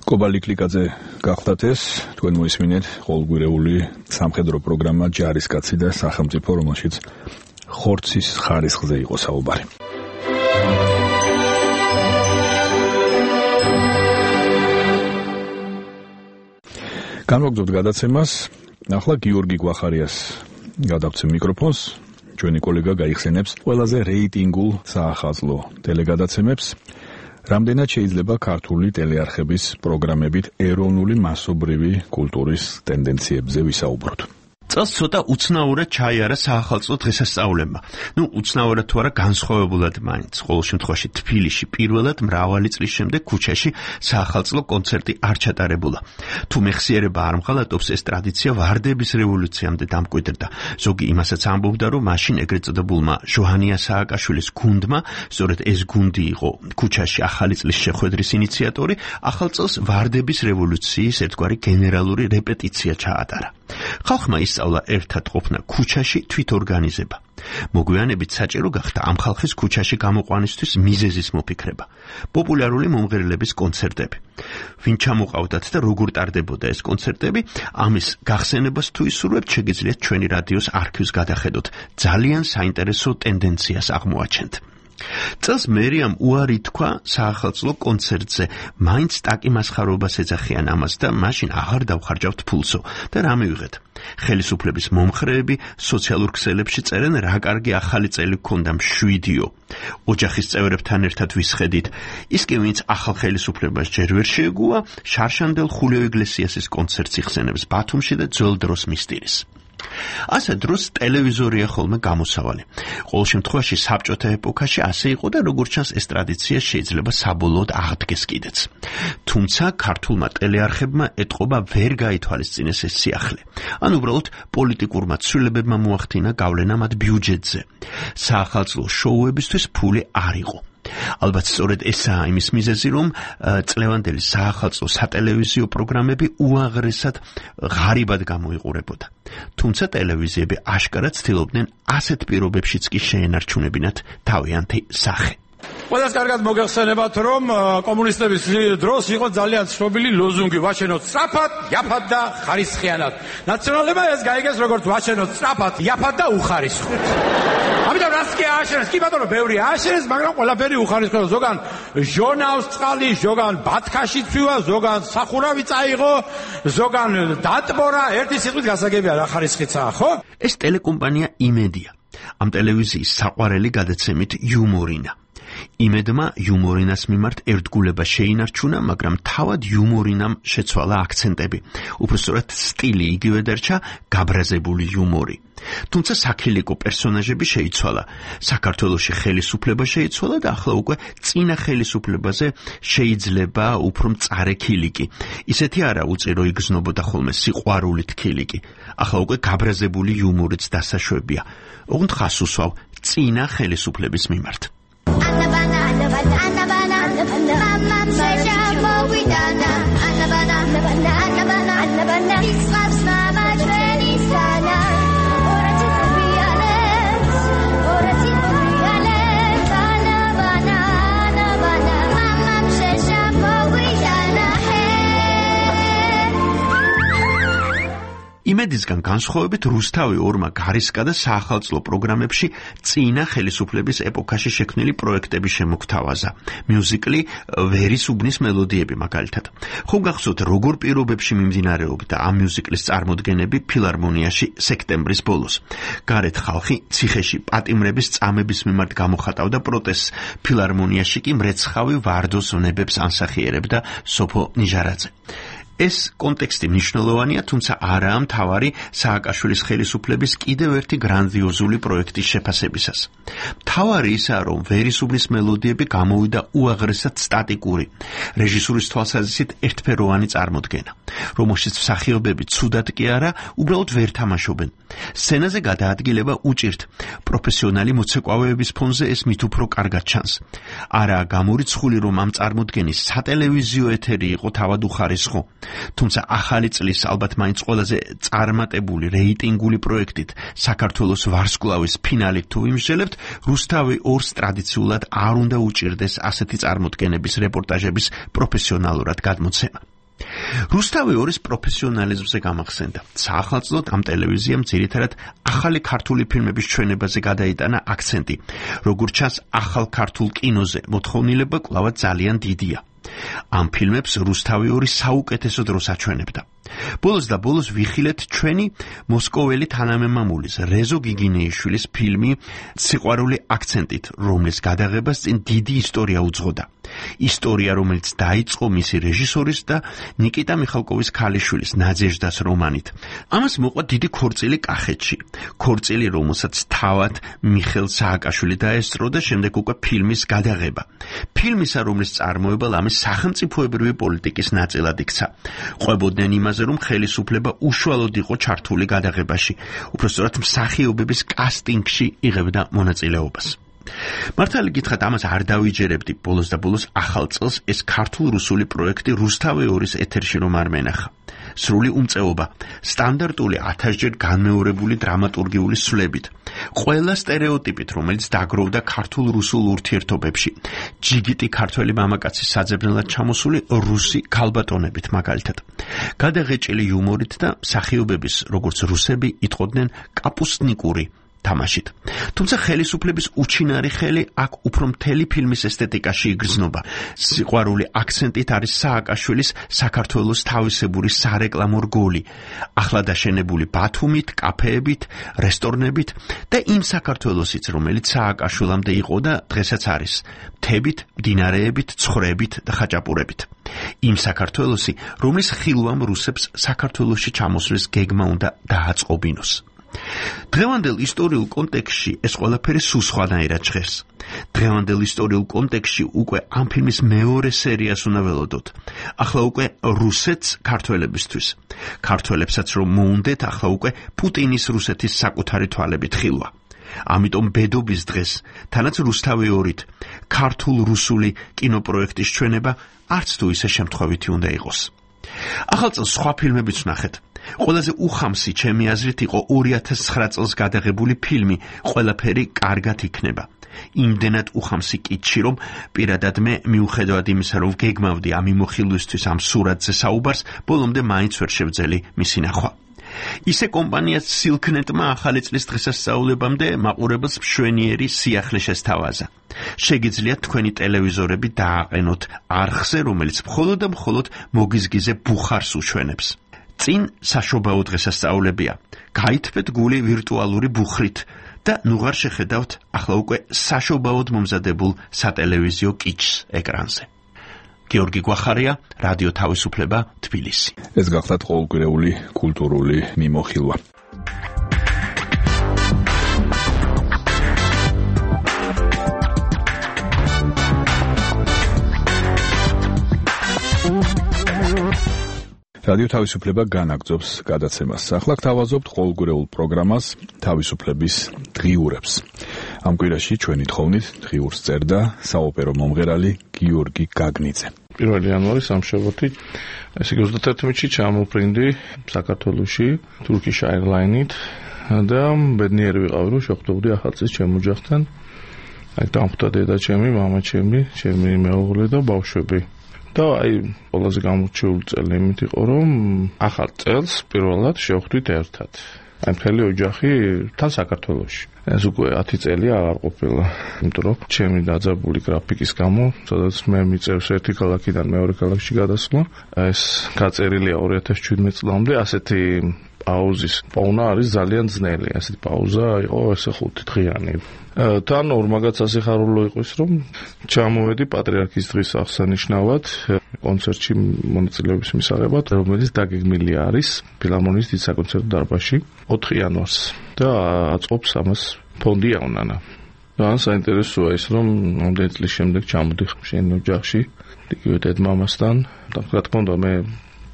კობალი კლიკაძე გახდათ ეს, თქვენ მოისმინეთ ყოველგვარეული სამხედრო პროგრამა ჯარისკაცი და სახელმწიფო, რომელშიც ხორცის ხარისხზე იყო საუბარი. განვაგრძობთ გადაცემას, ახლა გიორგი გვახარიას გადავცემ მიკროფონს. ჩვენი კოლეგა გაიხსენებს ყველაზე რეიტინგულ საახალწლო ტელეგადაცემებს. რამდენად შეიძლება ქართული ტელეარხების პროგრამებით ეროვნული მასობრივი კულტურის ტენდენციებზე ვისაუბროთ. წელს ცოტა უცნაურად ჩაიარა საახალწლო დღესასწაულებმა. ნუ უცნაურად თუ არა განსხვავებულად მაინც. ყოველ შემთხვევაში თბილისში პირველად მრავალი წლის შემდეგ ქუჩაში საახალწლო კონცერტი არ ჩატარებულა. თუ მეხსიერება არ მღალატობს, ეს ტრადიცია ვარდების რევოლუციამდე დამკვიდრდა. ზოგი იმასაც ამბობდა, რომ მაშინ ეგრეთ წოდებულმა ჟოჰანია სააკაშვილის გუნდმა, სწორედ ეს გუნდი იყო ქუჩაში ახალი წლის შეხვედრის ინიციატორი, ახალ წელს ვარდების რევოლუციის ერთგვარი გენერალური რეპეტიცია ჩაატარა. ხალხმა ისწავლა ერთად ყოფნა ქუჩაში თვითორგანიზება. მოგვიანებით საჭირო გახდა ამ ხალხის ქუჩაში გამოყვანისთვის მიზეზის მოფიქრება. პოპულარული მომღერლების კონცერტები. ვინ ჩამოყავდათ და როგორ ტარდებოდა ეს კონცერტები, ამის გახსენებას თუ ისურვებთ, შეგიძლიათ ჩვენი რადიოს არქივს გადახედოთ. ძალიან საინტერესო ტენდენციას აღმოაჩენთ. წელს მერიამ უარი თქვა საახალწლო კონცერტზე, მაინც ტაკი მასხარობას ეძახიან ამას და მაშინ აღარ დავხარჯავთ ფულსო და რა მივიღეთ. ხელისუფლების მომხრეები სოციალურ ქსელებში წერენ, რა კარგი ახალი წელი გქონდა მშვიდიო. ოჯახის წევრებთან ერთად ვისხედით. ის კი ვინც ახალ ხელისუფლებას ჯერ ვერ შეეგუა, შარშანდელ ხულიო იგლესიასის კონცერტს იხსენებს ბათუმში და ძველ დროს მისტირის. ასე დროს ტელევიზორია ხოლმე გამოსავალი. ყოველ შემთხვევაში საბჭოთა ეპოქაში ასე იყო და როგორც ჩანს ეს ტრადიცია შეიძლება საბოლოოდ აღდგეს კიდეც. თუმცა ქართულმა ტელეარხებმა ეტყობა ვერ გაითვალისწინეს ეს სიახლე. ან უბრალოდ პოლიტიკურმა ცვლილებებმა მოახდინა გავლენა მათ ბიუჯეტზე. საახალწლო შოუებისთვის ფული არ იყო. ალბათ სწორედ ესაა იმის მიზეზი, რომ წლევანდელი საახალწლო სატელევიზიო პროგრამები უაღრესად ღარიბად გამოიყურებოდა. თუმცა ტელევიზიები აშკარად ცდილობდნენ ასეთ პირობებშიც კი შეენარჩუნებინათ თავიანთი სახე. ყველას კარგად მოგეხსენებათ, რომ კომუნისტების დროს იყო ძალიან ცნობილი ლოზუნგი ვაჩენოთ სწრაფად, იაფად და ხარისხიანად. ნაციონალებმა ეს გაიგეს როგორც ვაჩენოთ სწრაფად, იაფად და უხარისხოთ. ამიტომ რას კი ააშენეს, კი ბატონო, ბევრი ააშენეს, მაგრამ ყველაფერი უხარისხო. ზოგან ჟონავს წყალი, ზოგან ბათქაში ცვივა, ზოგან სახურავი წაიღო, ზოგან დატბორა, ერთი სიტყვით გასაგებია რა ხარისხიცაა, ხო? ეს ტელეკომპანია იმედია. ამ ტელევიზიის საყვარელი გადაცემით იუმორინა. იმედმა იუმორინას მიმართ ერთგულება შეინარჩუნა, მაგრამ თავად იუმორინამ შეცვალა აქცენტები. უпростоრად სტილი იგივე დარჩა, გაბრაზებული იუმორი. თუმცა საქილიკო პერსონაჟები შეიცვალა. საქართველოში ხელისუფლება შეიცვალა და ახლა უკვე წინა ხელისუფლებაზე შეიძლება უფრო მწარე ქილიკი. ისეთი არა უწირო იგრძნობოდა ხოლმე სიყვარულით ქილიკი. ახლა უკვე გაბრაზებული იუმორიც დასაშვებია. ოღონდ ხას უსვავ წინა ხელისუფლების მიმართ. Anabana, anabana, anabana, anabana, mamam sheja mowidana. Anabana, anabana, anabana, anabana. Israfs mamaj venisana. Oratit biales, oratit biales. Anabana, anabana, mamam sheja mowidana. იმედისგან განსხვავებით რუსთავი ორმა გარისკა და საახალწლო პროგრამებში წინა ხელისუფლების ეპოქაში შექმნილი პროექტები შემოგთავაზა. მიუზიკლი ვერის უბნის მელოდიები მაგალითად. ხომ გახსოვთ როგორ პირობებში მიმდინარეობდა ამ მიუზიკლის წარმოდგენები ფილარმონიაში სექტემბრის ბოლოს. გარეთ ხალხი ციხეში პატიმრების წამების მიმართ გამოხატავდა პროტესტს. ფილარმონიაში კი მრეცხავი ვარდოს ვნებებს ანსახიერებდა სოფო ნიჟარაძე. ეს კონტექსტი მნიშვნელოვანია, თუმცა არაა მთავარი სააკაშვილის ხელისუფლების კიდევ ერთი გრანდიოზული პროექტის შეფასებისას. მთავარი ისაა, რომ ვერისუბნის მელოდიები გამოვიდა უაღრესად სტატიკური, რეჟისურის თვალსაზრისით ერთფეროვანი წარმოდგენა, რომელშიც მსახიობები ცუდად კი არა, უბრალოდ ვერ თამაშობენ. სცენაზე გადაადგილება უჭირთ, პროფესიონალი მოცეკვავეების ფონზე ეს მით უფრო კარგად ჩანს. არაა გამორიცხული, რომ ამ წარმოდგენის სატელევიზიო ეთერი იყო თავად უხარისხო. თუმცა ახალი წლის ალბათ მაინც ყველაზე წარმატებული რეიტინგული პროექტით საქართველოს ვარსკვლავის ფინალით თუ ვიმსჯელებთ, რუსთავი ორს ტრადიციულად არ უნდა უჭირდეს ასეთი წარმოდგენების რეპორტაჟების პროფესიონალურად გადმოცემა. რუსთავი ორის პროფესიონალიზმზე გამახსენდა. საახალწლოდ ამ ტელევიზიამ ძირითადად ახალი ქართული ფილმების ჩვენებაზე გადაიტანა აქცენტი. როგორც ჩანს, ახალ ქართულ კინოზე მოთხოვნილება კვლავ ძალიან დიდია. ამ ფილმებს რუსთავი ორი საუკეთესო დროს აჩვენებდა. ბოლოს და ბოლოს ვიხილეთ ჩვენი მოსკოველი თანამემამულის რეზო გიგინეიშვილის ფილმი სიყვარული აქცენტით, რომლის გადაღებას წინ დიდი ისტორია უძღოდა. ისტორია, რომელიც დაიწყო მისი რეჟისორის და ნიკიტა მიხალკოვის ქალიშვილის ნაძეჟდას რომანით. ამას მოყვა დიდი ქორწილი კახეთში. ქორწილი, რომელსაც თავად მიხეილ სააკაშვილი დაესწრო და შემდეგ უკვე ფილმის გადაღება. ფილმისა, რომლის წარმოება ლამის სახელმწიფოებრივი პოლიტიკის ნაწილად იქცა. ყვებოდნენ იმაზე, რომ ხელისუფლება უშუალოდ იყო ჩართული გადაღებაში, უпростоრად მსახიობების კასტინგში იღებდა მონაწილეობას. მართალი გითხრათ, ამას არ დავიჯერებდი. ბოლოს და ბოლოს ახალ წელს ეს ქართულ-რუსული პროექტი რუსთავი ორის ეთერში რომ არ მენახა. სრული უმწეობა, სტანდარტული ათასჯერ განმეორებული დრამატურგიული სვლებით, ყველა სტერეოტიპით, რომელიც დაგროვდა ქართულ-რუსულ ურთიერთობებში, ჯიგიტი ქართველი მამაკაცის საძებნელად ჩამოსული რუსი ქალბატონებით მაგალითად, გადაღეჭილი იუმორით და მსახიობების, როგორც რუსები იტყოდნენ, კაპუსტნიკური თამაშით. თუმცა ხელისუფლების უჩინარი ხელი აქ უფრო მთელი ფილმის ესთეტიკაში იგრძნობა. სიყვარული აქცენტით არის სააკაშვილის საქართველოს თავისებური სარეკლამო რგოლი, ახლა დაშენებული ბათუმით, კაფეებით, რესტორნებით და იმ საქართველოსიც, რომელიც სააკაშვილამდე იყო და დღესაც არის, მთებით, მდინარეებით, ცხვრებით და ხაჭაპურებით. იმ საქართველოსი, რომლის ხილვამ რუსებს საქართველოში ჩამოსვლის გეგმა უნდა დააწყობინოს. დღევანდელ ისტორიულ კონტექსტში ეს ყველაფერი სულ სხვანაირად ჟღერს. დღევანდელ ისტორიულ კონტექსტში უკვე ამ ფილმის მეორე სერიას უნდა ველოდოთ. ახლა უკვე რუსეთს ქართველებისთვის. ქართველებსაც რომ მოუნდეთ, ახლა უკვე პუტინის რუსეთის საკუთარი თვალებით ხილვა. ამიტომ ბედობის დღეს, თანაც რუსთავი ორით, ქართულ-რუსული კინოპროექტის ჩვენება არც თუ ისე შემთხვევითი უნდა იყოს. ახალ წელს სხვა ფილმებიც ვნახეთ. ყველაზე უხამსი ჩემი აზრით იყო ორი ათას ცხრა წელს გადაღებული ფილმი ყველაფერი კარგად იქნება. იმდენად უხამსი კითში, რომ პირადად მე მიუხედავად იმისა, რომ გეგმავდი ამ იმოხილვისთვის ამ სურათზე საუბარს, ბოლომდე მაინც ვერ შევძელი მისი ნახვა. ისე კომპანია სილკნეტმა ახალი წლის დღესასწაულებამდე მაყურებელს მშვენიერი სიახლე შესთავაზა. შეგიძლიათ თქვენი ტელევიზორები დააყენოთ არხზე, რომელიც მხოლოდ და მხოლოდ მოგიზგიზე ბუხარს უჩვენებს. წინ საშობაო დღესასწაულებია. გაითბეთ გული ვირტუალური ბუხრით და ნუღარ შეხედავთ ახლა უკვე საშობაოდ მომზადებულ სატელევიზიო კიჩს ეკრანზე. გიორგი გვახარია, რადიო თავისუფლება, თბილისი. ეს გახლავთ ყოველკვირეული კულტურული მიმოხილვა. რადიო თავისუფლება განაგრძობს გადაცემას. ახლა გთავაზობთ ყოველკვირეულ პროგრამას თავისუფლების დღიურებს. ამ კვირაში ჩვენი თხოვნით დღიურს წერდა საოპერო მომღერალი გიორგი გაგნიძე. პირველი იანვარი სამშაბათი, ესე იგი ოცდაათი ჩამოფრინდი საქართველოში Turkish Airlines-ით და ბედნიერი ვიყავი, რომ შეხვდებოდი ახალ წელს ჩემ ოჯახთან. აი დამხვდა დედა ჩემი, მამა ჩემი, ჩემი მეუღლე და ბავშვები. და აი ყველაზე გამორჩეული წელი იმით იყო, რომ ახალ წელს პირველად შევხვდით ერთად. აი მთელი ოჯახი თან საქართველოში. ეს უკვე ათი წელია აღარ ყოფილა, იმიტომ რომ ჩემი დაძაბული გრაფიკის გამო, სადაც მე მიწევს ერთი ქალაქიდან მეორე ქალაქში გადასვლა, ეს გაწერილია ორი ათას შვიდმეტ წლამდე, ასეთი პაუზის პოვნა არის ძალიან ძნელი. ასეთი პაუზა იყო ესე ხუთი დღიანი. თან ორმაგაც ასიხარულო იყოს, რომ ჩამოვედი პატრიარქის დღის აღსანიშნავად კონცერტში მონაწილეობის მისაღებად, რომელიც დაგეგმილი არის ფილარმონიის დიდ საკონცერტო დარბაზში ოთხი იანვარს და აწყობს ამას ფონდი ავნანა. და საინტერესოა ის, რომ მომდევნო წლის შემდეგ ჩამოდი შენ ოჯახში, იგივე დედმამასთან და რა თქმა უნდა მე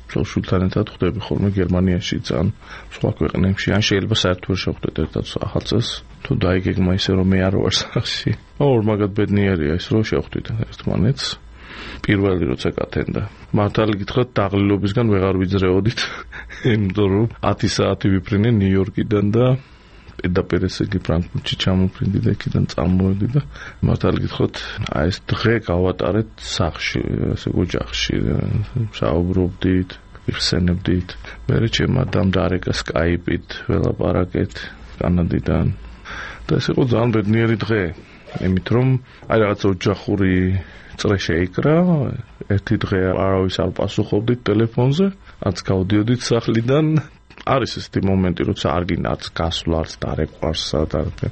შულთან ერთად ხვდები ხოლმე გერმანიაში, ძალიან სხვა ქვეყნებში, ან შეიძლება საერთოდ ვერ შევხვდეთ ერთად ახალ წელს, თუ დაიგეგმა ისე რომ მე არ ვარ სახში. ორმაგად ბედნიერია ის, რომ შევხვდით ერთმანეთს. პირველი როცა გათენდა. მართალი გითხრათ, დაღლილობისგან ვეღარ ვიძრეოდით, იმიტომ რომ ათი საათი ვიფრინე ნიუ-იორკიდან და პირდაპირ ესე იგი ფრანკფურტში ჩამოფრინდი და იქიდან წამოვედი და მართალი გითხრათ, აი ეს დღე გავატარეთ სახლში, ესე ოჯახში, საუბრობდით, ვიხსენებდით. მერე ჩემ ადამ დარეკა სკაიპით, ველაპარაკეთ კანადიდან. და ეს იყო ძალიან ბედნიერი დღე, იმით რომ აი რაღაც ოჯახური წრე შეიკრა, ერთი დღე არავის არ პასუხობდით ტელეფონზე, არც გავდიოდით სახლიდან. არის ესეთი მომენტი, როცა არ გინდა არც გასვლა, არც დარეკვარს სადარბე.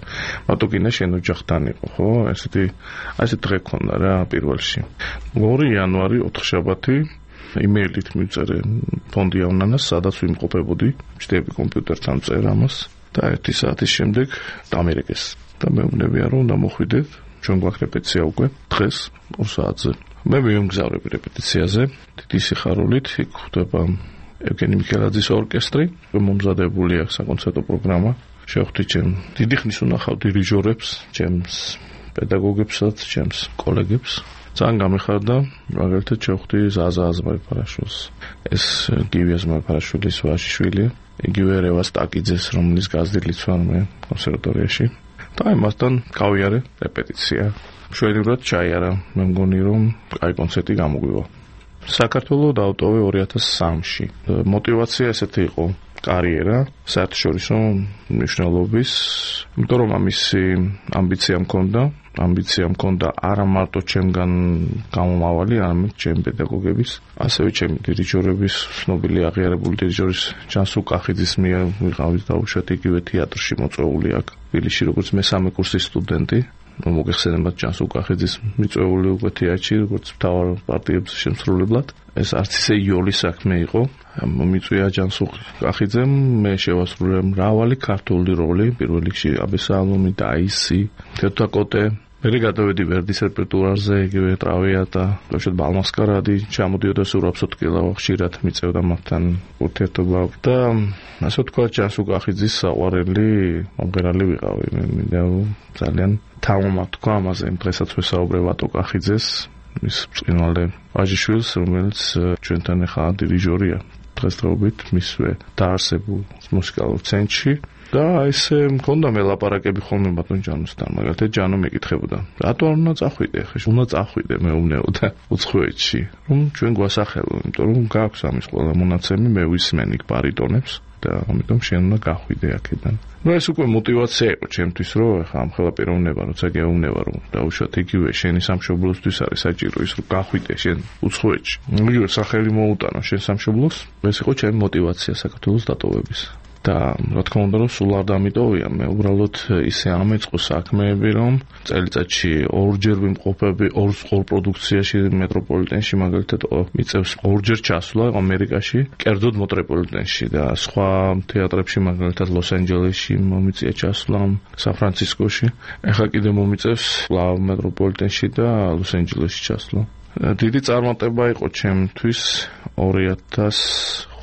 მარტო გინდა შენ ოჯახთან იყო, ხო? ესეთი აი ეს დღე ქონდა რა პირველში. ორი იანვარი ოთხშაბათი იმეილით მივწერე ფონდი ავნანას, სადაც ვიმყოფებოდი, ჩდები კომპიუტერთან წერ ამას და ერთი საათის შემდეგ დამერეკეს. და მეუბნებია რომ დამოხვიდეთ, ჩვენ გვაქვს რეპეტიცია უკვე დღეს ორ საათზე. მე მივიმგზავრები რეპეტიციაზე, დიდი სიხარულით, იქ ხვდება ევგენი მიქელაძის ორკესტრი, მომზადებული აქვს საკონცერტო პროგრამა. შევხვდი ჩემ დიდი ხნის უნახავ დირიჟორებს, ჩემს პედაგოგებსაც, ჩემს კოლეგებს. ძალიან გამეხარდა, მაგალითად შევხვდი ზაზა აზმაიფარაშვილს. ეს გივი აზმაიფარაშვილის ვაჟიშვილია, იგივე რევას ტაკიძეს, რომლის გაზრდილიც ვარ მე კონსერვატორიაში. და იმასთან გავიარე რეპეტიცია. მშვენივრად ჩაიარა, მე მგონი რომ კაი კონცერტი გამოგვივა. საქართველო დავტოვე ორი ათას სამში. მოტივაცია ესეთი იყო, კარიერა, საერთაშორისო მნიშვნელობის, იმიტომ რომ ამისი ამბიცია მქონდა, ამბიცია მქონდა არა მარტო ჩემგან გამომავალი, არამედ ჩემი პედაგოგების, ასევე ჩემი დირიჟორების, ცნობილი აღიარებული დირიჟორის ჯანსუ კახიძის მიერ ვიყავით დაუშვათ იგივე თეატრში მოწვეული აქ თბილისში, როგორც მესამე კურსის სტუდენტი. მოგეხსენებათ ჯანსუ კახიძის მიწვეული უკვე თეატრში, როგორც მთავარ პარტიებს შემსრულებლად. ეს არც ისე იოლი საქმე იყო. მომიწვია ჯანსუ კახიძემ, მე შევასრულე მრავალი ქართული როლი, პირველ რიგში აბესალომი, დაისი, თეთრაკოტე. მე გადავედი ვერდის რეპერტუარზე, იგივე ტრავიატა, ბავშვად ბალმასკარადი, ჩამოდიოდა სურაბ-სოტკილა, ხშირად მიწევდა მათთან ურთიერთობა და ასე ვთქვათ, ჯანსუ კახიძის საყვარელი მომღერალი ვიყავი. მე მინდა ძალიან თამამად თქვა ამაზე, დღესაც ვესაუბრე ვატო კახიძეს, მის ბრწყინვალე ვაჟიშვილს, რომელიც ჩვენთან ახლა დირიჟორია დღესდღეობით მისვე დაარსებულ მუსიკალურ ცენტრში. და ესე მქონდა მე ლაპარაკები ხოლმე ბატონ ჯანოსთან, მაგალითად ჯანო მეკითხებოდა, რატო არ უნდა წახვიდე ხე, უნდა წახვიდე მეუბნეოდა უცხოეთში, რომ ჩვენ გვასახელო, იმიტომ რომ გაქვს ამის ყველა მონაცემი, მე ვისმენ იქ ბარიტონებს და ამიტომ შენ უნდა გახვიდე აქედან. ნუ ეს უკვე мотивация იყო ჩემთვის, რომ ახლა ამ ხელა პიროვნება, როცა გეუბნება, რომ დაუშვათ იგივე შენი სამშობლოსთვის არის საჭირო ის, რომ გახვიდე შენ უცხოეთში. იგივე სახელი მოუტანო შენ სამშობლოს, ეს იყო ჩემი мотивация საქართველოს დატოვების. და რა თქმა უნდა რომ სულ არ დამიტოვია, მე უბრალოდ ისე ამეწყო საქმეები, რომ წელიწადში ორჯერ ვიმყოფები ორ ორ პროდუქციაში მეტროპოლიტენში, მაგალითად მიწევს ორჯერ ჩასვლა ამერიკაში, კერძოდ მეტროპოლიტენში და სხვა თეატრებში, მაგალითად ლოს-ანჯელესში მომიწია ჩასვლა, სან-ფრანცისკოში. ეხლა კიდე მომიწევს კვლავ მეტროპოლიტენში და ლოს-ანჯელესში ჩასვლა. დიდი წარმატება იყო ჩემთვის ორი ათას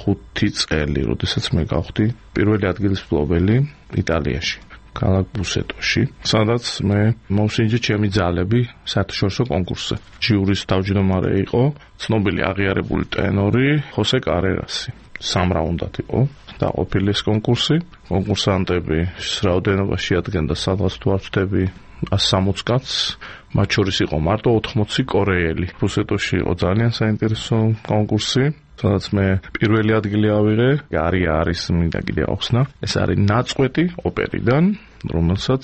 ხუთი წელი, როდესაც მე გავხდი პირველი ადგილის მფლობელი იტალიაში, ქალაქ ბუსეტოში, სადაც მე მოვსინჯე ჩემი ძალები საერთაშორისო კონკურსზე. ჟიურის თავმჯდომარე იყო ცნობილი აღიარებული ტენორი ხოსე კარერასი. სამ რაუნდად იყო დაყოფილი ეს კონკურსი. კონკურსანტები რაოდენობაში ადგენდა სადღაც თუ არ ვთქვი ას სამოცი კაცს, მათ შორის იყო მარტო ოთხმოცი კორეელი. ბუსეტოში იყო ძალიან საინტერესო კონკურსი, სადაც მე პირველი ადგილი ავიღე. არია არის მინდა კიდე ახსნა, ეს არის ნაწყვეტი ოპერიდან, რომელსაც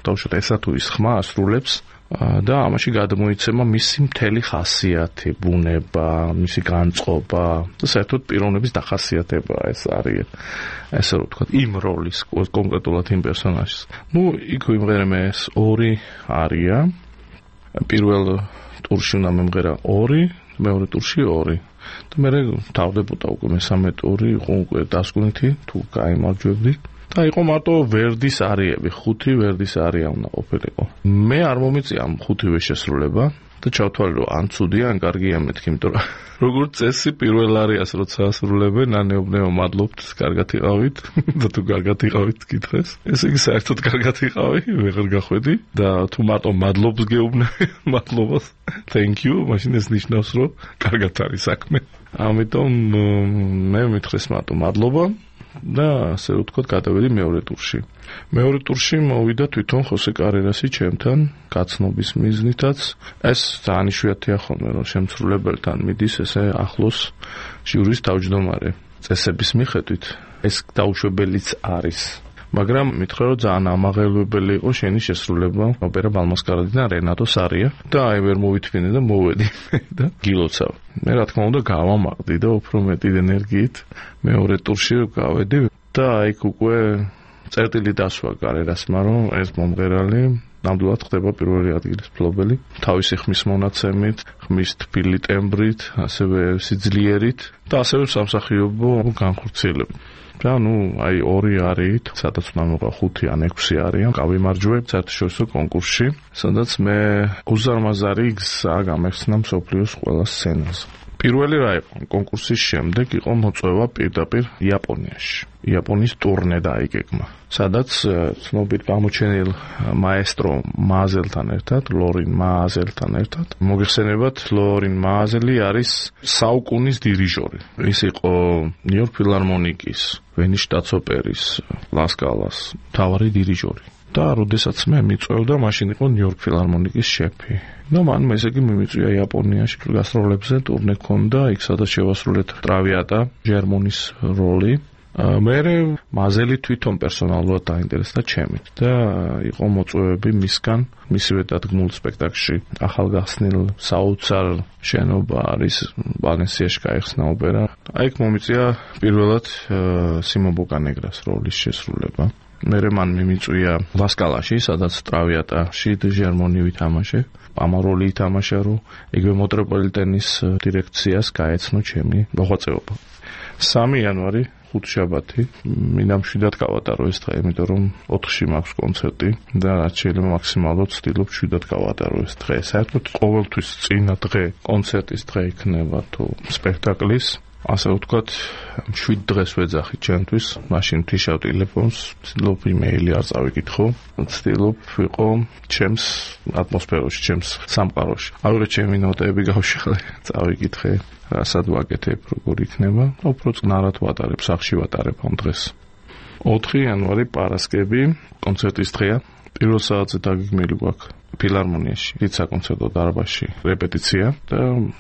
თავშოთ ესა თუ ის ხმა ასრულებს და ამაში გადმოიცემა მისი მთელი ხასიათი, ბუნება, მისი განწყობა და საერთოდ პიროვნების დახასიათება ეს არის, ესე რომ ვთქვათ, იმ როლის კონკრეტულად იმ პერსონაჟის. ნუ იქ ვიმღერე ეს ორი არია. პირველ ტურში უნდა მემღერა ორი, მეორე ტურში ორი. და მე თავდებოდა უკვე მესამე ტური, იყო უკვე დასკვნითი, თუ გაიმარჯვებდი. და იყო მარტო ვერდის არიები, ხუთი ვერდის არია უნდა ყოფილიყო. მე არ მომიწია ამ ხუთივე შესრულება და ჩავთვალე რომ ან ცუდია, ან კარგია მეთქი, იმიტომ რომ როგორც წესი პირველ არიას როცა ასრულებენ, ანეობნეო მადლობთ, კარგად იყავით და თუ კარგად იყავით გითხრეს. ესე იგი საერთოდ კარგად იყავი, ვეღარ გახვედი და თუ მარტო მადლობს გეუბნები, მადლობას, thank you, მაშინ ეს ნიშნავს რომ კარგად არის საქმე. ამიტომ მე მითხრეს მარტო მადლობა. და ასე ვთქვათ, გადავედი მეორე ტურში. მეორე ტურში მოვიდა თვითონ ხოსე კარერასი ჩემთან, გაცნობის მიზნითაც. ეს ძალიან იშვიათია ხოლმე, რომ შემსრულებელთან მიდის ესე ახლოს ჟიურის თავმჯდომარე. წესების მიხედვით ეს დაუშვებელიც არის. მაგრამ მითხრა რომ ძალიან ამაღელვებელი იყო შენი შესრულება ოპერა ბალმასკარადი და რენატო სარია და აი ვერ მოვითმინე და მოვედი და გილოცავ. მე რა თქმა უნდა გავამაყდი და უფრო მეტი ენერგიით მეორე ტურში გავედი და აი უკვე წერტილი დასვა კარერასმა რომ ეს მომღერალი ნამდვილად ხდება პირველი ადგილის მფლობელი თავისი ხმის მონაცემით, ხმის თბილი ტემბრით, ასევე სიძლიერით და ასევე სამსახიობო განხორციელებით. და ნუ აი ორი არით, სადაც უნდა მოყვა ხუთი ან ექვსი არიან, გავიმარჯვებ საერთაშორისო კონკურსში, სადაც მე უზარმაზარი გზა გამეხსნა მსოფლიოს ყველა სცენაზე. პირველი რა იყო? კონკურსის შემდეგ იყო მოწვევა პირდაპირ იაპონიაში. იაპონიის ტურნე დაიგეგმა, სადაც ცნობილ გამოჩენილ მაესტრო მააზელთან ერთად, ლორინ მააზელთან ერთად, მოგეხსენებათ, ლორინ მააზელი არის საუკუნის დირიჟორი. ის იყო ნიუ-იორკ ფილარმონიკის, ვენის შტატსოპერის, ლასკალას მთავარი დირიჟორი. და როდესაც მე მიწვევდა, მაშინ იყო ნიუ-იორკ ფილარმონიკის შეფი. და მან მეზეგი მიმიწვია იაპონიაში გასტროლებზე, ტურნე ქონდა, იქ სადაც შევასრულეთ ტრავიატა, ჟერმონის როლი. მე მაზელი თვითონ პერსონალურად დაინტერესდა ჩემით და იყო მოწვევები მისგან, მისივე დადგმულ სპექტაკლში ახალგახსნილ საოცარ შენობა არის ვალენსიაში გაიხსნა ოპერა. აი იქ მომიწია პირველად სიმონ ბოკანეგრას როლის შესრულება. მერე მან მიმიწვია ლასკალაში, სადაც ტრავიატაში ჟერმონი ვითამაშე. ამ როლი ითამაშა, რომ იგივე მეტროპოლიტენის დირექციას გაეცნო ჩემი მოღვაწეობა. სამი იანვარი ხუთშაბათი, მინდა მშვიდად გავატარო ეს დღე, იმიტომ რომ ოთხში მაქვს კონცერტი და რაც შეიძლება მაქსიმალურად ვცდილობ მშვიდად გავატარო ეს დღე. საერთოდ ყოველთვის წინა დღე კონცერტის დღე იქნება თუ სპექტაკლის. ასე ვთქვათ, მშვიდ დღეს ვეძახი ჩემთვის, მაშინ ვთიშავ ტელეფონს, ვცდილობ იმეილი არ წავიკითხო, ვცდილობ ვიყო ჩემს ატმოსფეროში, ჩემს სამყაროში. აღარ ჩემი ნოტები გავშეხე, წავიკითხე, რასად ვაკეთებ, როგორ იქნება, უფრო წნარად ვატარებ, სახში ვატარებ ამ დღეს. ოთხი იანვარი პარასკევი, კონცერტის დღეა. პირველ საათზე დაგეგმილი გვაქვს ფილარმონიაში, დიდ საკონცერტო დარბაზში რეპეტიცია და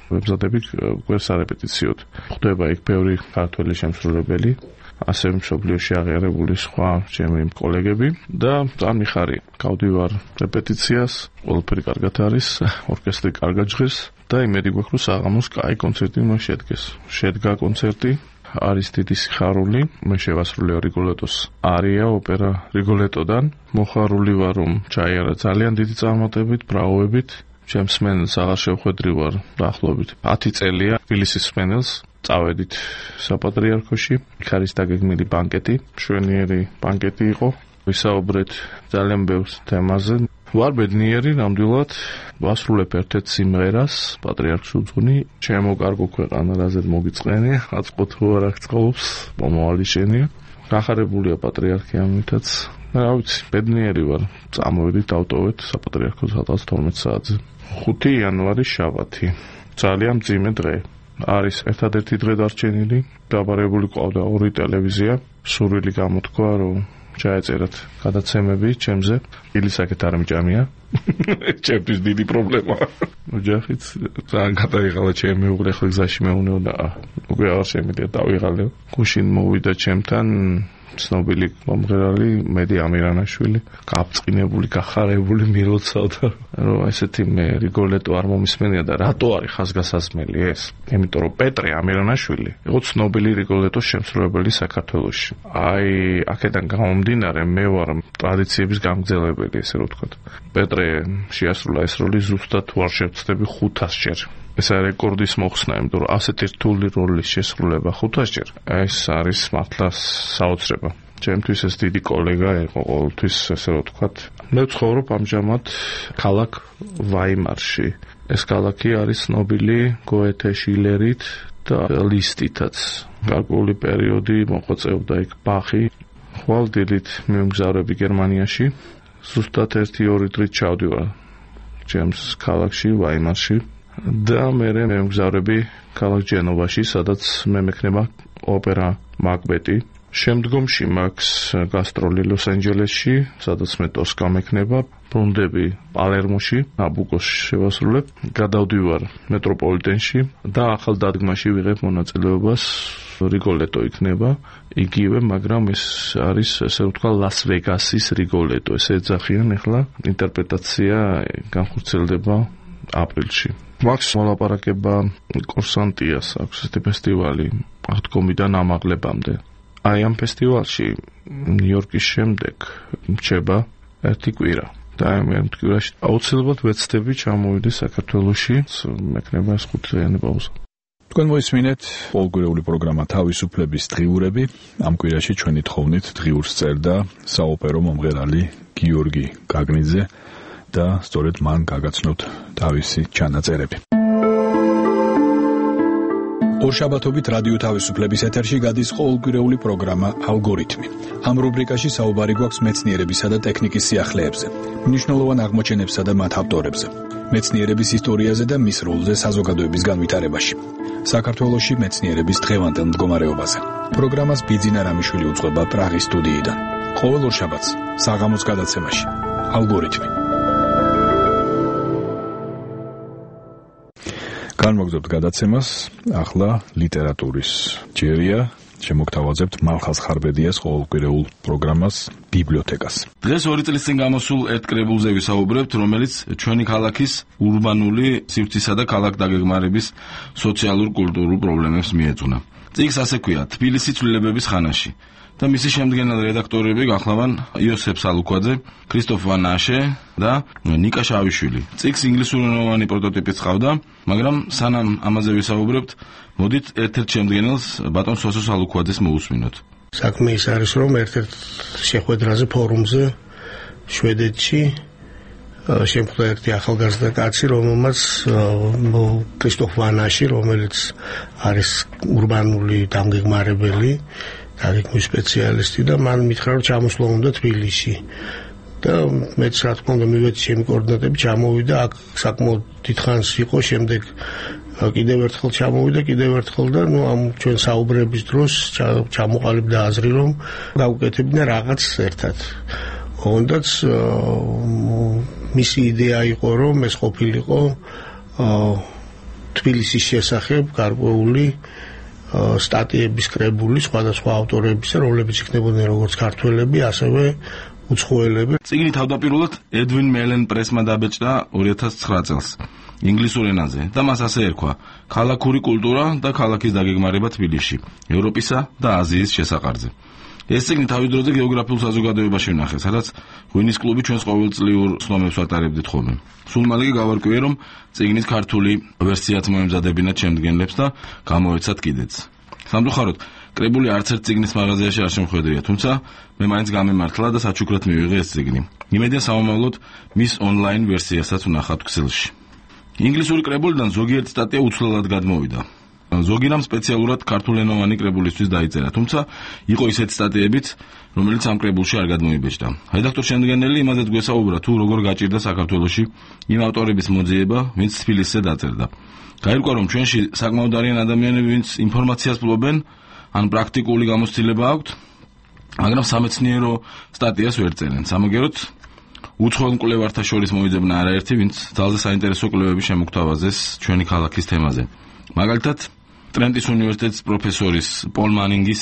ვებზადებით უკვე სარეპეტიციოდ. ხდება იქ ბევრი ქართველი შემსრულებელი, ასევე მსოფლიოში აღიარებული სხვა ჩემი კოლეგები და ძალიან მიხარია. გავდივარ რეპეტიციას, ყველაფერი კარგად არის, ორკესტრი კარგად ჟღერს და იმედი გვაქვს, რომ საღამოს კაი კონცერტი მას შედგეს. შედგა კონცერტი. არის დიდი სიხარული, მე შევასრულე რიგოლეტოს არია ოპერა რიგოლეტოდან. მოხარული ვარ, რომ ჩაიარა ძალიან დიდი წარმატებით, ბრავოებით. ჩემს სმენელს აღარ შევხვედრივარ დაახლოებით ათი წელია თბილისის სმენელს. წავედით საპატრიარქოში, იქ არის დაგეგმილი ბანკეტი, მშვენიერი ბანკეტი იყო. ვისაუბრეთ ძალიან ბევრ თემაზე. ვარ ბედნიერი, ნამდვილად ვასრულებ ერთ-ერთ სიმღერას, პატრიარქს უძღვნი, ჩემო კარგო ქვეყანა, რაზედ მოგიწყენი, აწყოთ თუ არ აღწყობს, მომავალი შენია. გახარებულია პატრიარქი ამითაც. რა ვიცი, ბედნიერი ვარ. წამოვიდით, დავტოვეთ საპატრიარქოს ათას თორმეტ საათზე. ხუთი იანვარი შაბათი. ძალიან მძიმე დღე. არის ერთადერთი დღე დარჩენილი, დაბარებული ყავდა ორი ტელევიზია. სურვილი გამოთქვა, რომ ჩაეწერათ გადაცემები ჩემზე. ილისაკეთ არ მჭამია. ჩემთვის დიდი პრობლემაა. ოჯახიც ძალიან გადაიღალა ჩემი უღლეხი გზაში მეუნეო და უკვე აღარ შემიძლია დავიღალე. გუშინ მოვიდა ჩემთან ცნობილი მომღერალი მედი ამირანაშვილი გაბწყინებული, გახარებული მილოცავდა, რომ ესეთი მე რიგოლეტო არ მომისმენია და რატო არის ხაზგასაზმელი ეს? იმიტომ რომ პეტრე ამირანაშვილი იყო ცნობილი რიგოლეტოს შემსრულებელი საქართველოში. აი, აქედან გამომდინარე მე ვარ ტრადიციების გამგზელებელი, ესე რომ ვთქვათ. პეტრე შეასრულა ეს როლი ზუსტად თუ არ შევცდები ხუთასჯერ. ეს არის რეკორდის მოხსნა, იმიტომ რომ ასეთი რთული როლის შესრულება ხუთასჯერ, ეს არის მართლა საოცრება. ჩემთვის ეს დიდი კოლეგა იყო ყოველთვის, ესე რომ ვთქვათ. მე ვცხოვრობ ამჟამად ქალაქ ვაიმარში. ეს ქალაქი არის ცნობილი გოეთე, შილერით და ლისტითაც. გარკვეული პერიოდი მოღვაწეობდა იქ ბახი. ხვალ დილით მივმგზავრები გერმანიაში. ზუსტად ერთი ორი დღით ჩავდივარ ჩემს ქალაქში ვაიმარში. და მე მემგზავრები ქალაქ ჯენოვაში, სადაც მე მექნება ოპერა მაკბეტი. შემდგომში მაქვს გასტროლი ლოს-ანჯელესში, სადაც მე ტოსკა მექნება, ბრუნდები პალერმოში, ნაბუკოში შევასრულებ, გადავდივარ მეტროპოლიტენში და ახალ დადგმაში ვიღებ მონაწილეობას, რიგოლეტო იქნება, იგივე, მაგრამ ეს არის, ესე ვთქვა, ლას-ვეგასის რიგოლეტო, ესე ეძახიან ახლა, ინტერპრეტაცია განხორციელდება აპრილში. მაქვს მოლაპარაკება კურსანტიას, აქვს ესეთი ფესტივალი, აღდგომიდან ამაღლებამდე. აი ამ ფესტივალში ნიუ-იორკის შემდეგ მრჩება ერთი კვირა. და ამ ერთ კვირაში აუცილებლად ვეცდები ჩამოვიდეს საქართველოში, მექნება ეს ხუთდღიანი პაუზა. თქვენ მოისმინეთ ყოველკვირეული პროგრამა თავისუფლების დღიურები. ამ კვირაში ჩვენი თხოვნით დღიურს წერდა საოპერო მომღერალი გიორგი გაგნიძე და სწორედ მან გაგაცნოთ თავისი ჩანაწერები. ორშაბათობით რადიო თავისუფლების ეთერში გადის ყოველკვირეული პროგრამა ალგორითმი. ამ რუბრიკაში საუბარი გვაქვს მეცნიერებისა და ტექნიკის სიახლეებზე, მნიშვნელოვან აღმოჩენებსა და მათ ავტორებზე, მეცნიერების ისტორიაზე და მის როლზე საზოგადოების განვითარებაში, საქართველოში მეცნიერების დღევანდელ მდგომარეობაზე. პროგრამას ბიძინა რამიშვილი უძღვება პრაღის სტუდიიდან. ყოველ ორშაბათს საღამოს გადაცემაში ალგორითმი. განმოგზავნებთ გადაცემას, ახლა ლიტერატურის ჯერია, შემოგთავაზებთ მალხაზ ხარბედიას ყოველკვირეულ პროგრამას ბიბლიოთეკას. დღეს ორი წლის წინ გამოსულ ერთ კრებულზე ვისაუბრებთ, რომელიც ჩვენი ქალაქის ურბანული სივრცისა და ქალაქ დაგეგმარების სოციალურ-კულტურულ პრობლემებს მიეძღვნა. წიგნს ასე ქვია, თბილისი ცვლილებების ხანაში. და მისი შემდგენელ რედაქტორები გახლავან იოსებ სალუქვაძე, ქრისტოფ ვან აშე და ნიკა შავიშვილი. წიგნს ინგლისურენოვანი პროტოტიპიც ყავდა, მაგრამ სანამ ამაზე ვისაუბრებთ, მოდით ერთ-ერთ შემდგენელს ბატონ სოსო სალუქვაძეს მოусმინოთ. საქმე ის არის, რომ ერთ-ერთ შეხვედრაზე ფორუმზე შვედეთში შემხვდა ერთი ახალგაზრდა კაცი, რომელმაც ქრისტოფ ვან აში, რომელიც არის ურბანული დამგეგმარებელი, დაგეგმვის სპეციალისტი და მან მითხრა რომ ჩამოსვლა უნდა თბილისში. და მეც რა თქმა უნდა მივეცი ჩემი კოორდინატები, ჩამოვიდა, აქ საკმაოდ დიდხანს იყო, შემდეგ კიდევ ერთხელ ჩამოვიდა, კიდევ ერთხელ და ნუ ამ ჩვენ საუბრების დროს ჩამოყალიბდა აზრი რომ გავუკეთებინა რაღაც ერთად. ოღონდაც მისი იდეა იყო რომ ეს ყოფილიყო თბილისის შესახებ გარკვეული სტატიების კრებული სხვადასხვა ავტორებისა, რომლებიც იქნებოდნენ როგორც ქართველები, ასევე უცხოელები. წიგნი თავდაპირველად ედვინ მელენ პრესმა დაბეჭდა ორი ათას ცხრა წელს ინგლისურ ენაზე და მას ასე ერქვა: ქალაქური კულტურა და ქალაქის დაგეგმარება თბილისში, ევროპისა და აზიის შესაყარზე. ეს წიგნი თავის დროზე გეოგრაფიულ საზოგადოებაში ვნახე, სადაც ღვინის კლუბი ჩვენს ყოველწლიურ სხდომებს ვატარებდით ხოლმე. სულ მალე გავარკვიე, რომ წიგნის ქართული ვერსიაც მოემზადებინათ შემდგენლებს და გამოეცათ კიდეც. სამწუხაროდ, კრებული არც ერთ წიგნის მაღაზიაში არ შემხვედრია, თუმცა მე მაინც გამემართლა და საჩუქრად მივიღე ეს წიგნი. იმედია სამომავლოდ მის ონლაინ ვერსიასაც ვნახავთ ქსელში. ინგლისური კრებულიდან ზოგიერთი სტატია უცვლელად გადმოვიდა. ზოგი რამ სპეციალურად ქართულენოვანი კრებულისთვის დაიწერა, თუმცა იყო ისეთი სტატიებიც, რომელიც ამ კრებულში არ გადმოიბეჭდა. რედაქტორ შემდგენელი იმაზეც გვესაუბრა, თუ როგორ გაჭირდა საქართველოში იმ ავტორების მოძიება, ვინც თბილისზე დაწერდა. გაირკვა, რომ ჩვენში საკმაოდ არიან ადამიანები, ვინც ინფორმაციას ფლობენ, ან პრაქტიკული გამოცდილება აქვთ, მაგრამ სამეცნიერო სტატიას ვერ წერენ. სამაგეროდ უცხოელ მკვლევართა შორის მოიძებნა არაერთი, ვინც ძალზე საინტერესო კვლევები შემოგთავაზეს ჩვენი ქალაქის თემაზე. მაგალითად, ტრენტის უნივერსიტეტის პროფესორის პოლ მანინგის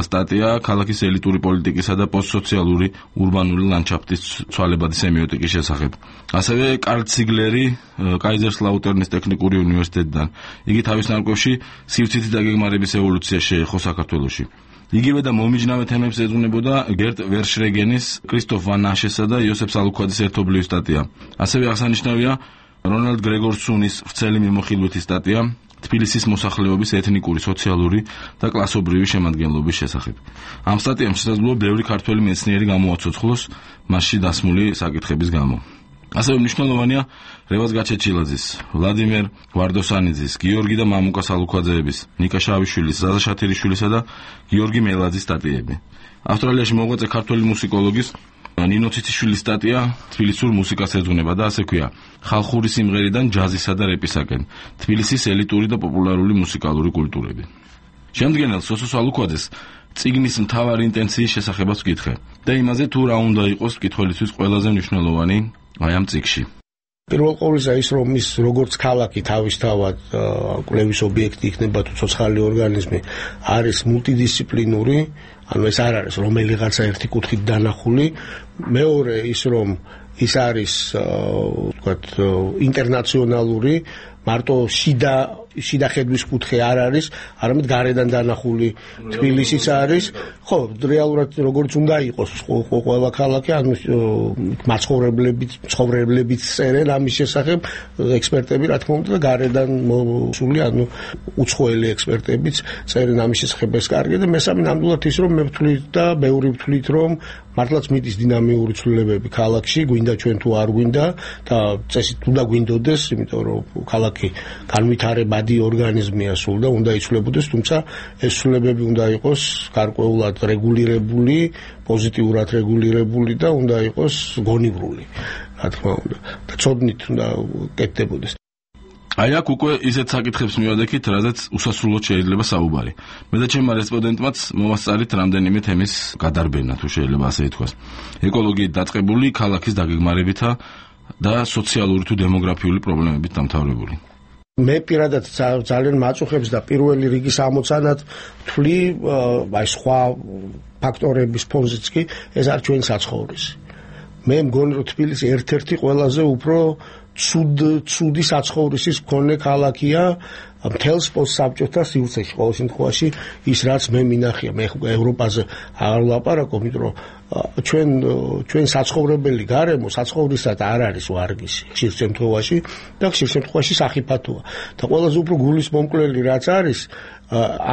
სტატია ქალაქის ელიტური პოლიტიკისა და პოსტსოციალური ურბანული ლანდშაფტის ცვალებადი სემიოტიკის შესახებ. ასევე კარლ ციგლერი კაიზერსლაუტერნის ტექნიკური უნივერსიტეტიდან. იგი თავის ნარკვევში სივრცითი დაგეგმარების ევოლუცია შეეხო საქართველოში. იგივე და მომიჯნავე თემებს ეძღვნებოდა გერტ ვერშრეგენის, კრისტოფ ვან ნაშესა და იოსებ სალუქვაძის ერთობლივი სტატია. ასევე აღსანიშნავია რონალდ გრეგორსუნის ვრცელი მიმოხილვითი სტატია თბილისის მოსახლეობის ეთნიკური, სოციალური და კლასობრივი შემადგენლობის შესახებ. ამ სტატიამ შესაძლოა ბევრი ქართველი მეცნიერი გამოაცოცხლოს მასში დასმული საკითხების გამო. ასევე მნიშვნელოვანია რევაზ გაჩეჩილაძის, ვლადიმერ ვარდოსანიძის, გიორგი და მამუკა სალუქვაძეების, ნიკა შავიშვილის, ზაზა შათირიშვილისა და გიორგი მელაძის სტატიები. ავსტრალიაში მოღვაწე ქართველი მუსიკოლოგის ნინო ციციშვილის სტატია თბილისურ მუსიკას ეძღვნება და ასე ქვია: ხალხური სიმღერიდან ჯაზისა და რეპისაკენ, თბილისის ელიტური და პოპულარული მუსიკალური კულტურები. შემდგენელ სოსო სალუქვაძეს წიგნის მთავარი ინტენციის შესახებაც ვკითხე და იმაზე თუ რა უნდა იყოს მკითხველისთვის ყველაზე მნიშვნელოვანი აი ამ წიგნში. პირველ ყოვლისა ის რომ ის როგორც ქალაქი თავისთავად კვლევის ობიექტი იქნება თუ ცოცხალი ორგანიზმი არის მულტიდისციპლინური, ანუ ეს არ არის რომელიღაცა ერთი კუთხით დანახული. მეორე ის რომ ის არის ვთქვათ ინტერნაციონალური, მარტო შიდა შიდა ხედვის კუთხე არ არის, არამედ გარედან დანახული თბილისიც არის. ხო, რეალურად როგორც უნდა იყოს ყველა ქალაქი, ანუ მაცხოვრებლებით, მცხოვრებლებიც წერენ ამის შესახებ, ექსპერტები რა თქმა უნდა და გარედან მოსული, ანუ უცხოელი ექსპერტებიც წერენ ამის შესახებ, ეს კარგია და მესამე ნამდვილად ის რომ მე ვთვლით და ბევრი ვთვლით რომ მართლაც მიდის დინამიური ცვლილებები ქალაქში, გვინდა ჩვენ თუ არ გვინდა და წესით უნდა გვინდოდეს, იმიტომ რომ ქალაქი განვითარებადი ორგანიზმია სულ და უნდა იცვლებოდეს, თუმცა ეს ცვლილებები უნდა იყოს გარკვეულად რეგულირებული, პოზიტიურად რეგულირებული და უნდა იყოს გონივრული, რა თქმა უნდა. და ცოდნით უნდა კეთდებოდეს. აი აქ უკვე ისეთ საკითხებს მივადექით, რაზეც უსასრულოდ შეიძლება საუბარი. მე და ჩემმა რესპონდენტმაც მოვასწარით რამდენიმე თემის გადარბენა, თუ შეიძლება ასე ითქვას. ეკოლოგიით დაწყებული, ქალაქის დაგეგმარებითა და სოციალური თუ დემოგრაფიული პრობლემებით დამთავრებული. მე პირადად ძალიან მაწუხებს და პირველი რიგის ამოცანად ვთვლი აი სხვა ფაქტორების ფონზეც კი ეს არ ჩვენ საცხოვრისი. მე მგონი რომ თბილისი ერთ-ერთი ყველაზე უფრო ცუდ ცუდი საცხოვრისის მქონე ქალაქია მთელს პოსტსაბჭოთა სივრცეში. ყოველ შემთხვევაში ის რაც მე მინახია, მე ევროპაზე არ ვლაპარაკობ, იმიტომ რომ ჩვენ ჩვენ საცხოვრებელი გარემო საცხოვრისად არ არის ვარგისი ხშირ შემთხვევაში და ხშირ შემთხვევაში სახიფათოა. და ყველაზე უფრო გულის მომკვლელი რაც არის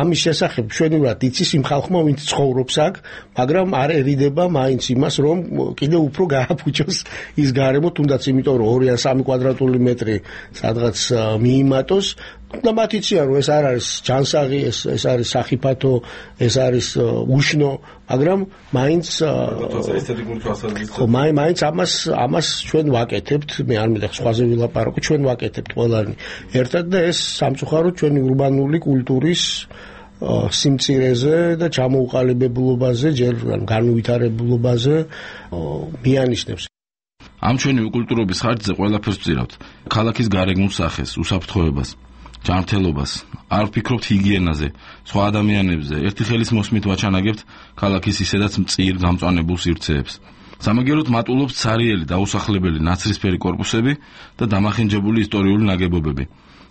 ამის შესახებ ჩვენურად იცის იმ ხალხმა, ვინც ცხოვრობს აქ, მაგრამ არ ერიდება მაინც იმას, რომ კიდევ უფრო გააფუჭოს ის გარემო, თუნდაც იმიტომ რომ ორი ან სამი კვადრატული მეტრი სადღაც მიიმატოს და მათ იციან რომ ეს არ არის ჯანსაღი, ეს ეს არის სახიფათო, ეს არის უშნო, მაგრამ მაინც ხო მაინც ამას ამას ჩვენ ვაკეთებთ, მე არ მინდა სხვაზე ვილაპარაკო, ჩვენ ვაკეთებთ ყველანი ერთად და ეს სამწუხაროდ ჩვენი ურბანული კულტურის სიმწირეზე და ჩამოუყალიბებლობაზე, ჯერ განუვითარებლობაზე მიანიშნებს. ამ ჩვენი კულტურობის ხარჯზე ყველაფერს ვწირავთ. ქალაქის გარეგნულ სახეს, უსაფრთხოებას, ჯანმრთელობას, არ ვფიქრობთ ჰიგიენაზე, სხვა ადამიანებზე, ერთი ხელის მოსმით ვაჩანაგებთ ქალაქის ისედაც მწիր გამწვანებულ სივრცეებს. სამაგეროდ მატულობს ცარიელი დაუსახლებელი ნაცრისფერი კორპუსები და დამახინჯებული ისტორიული ნაგებობები.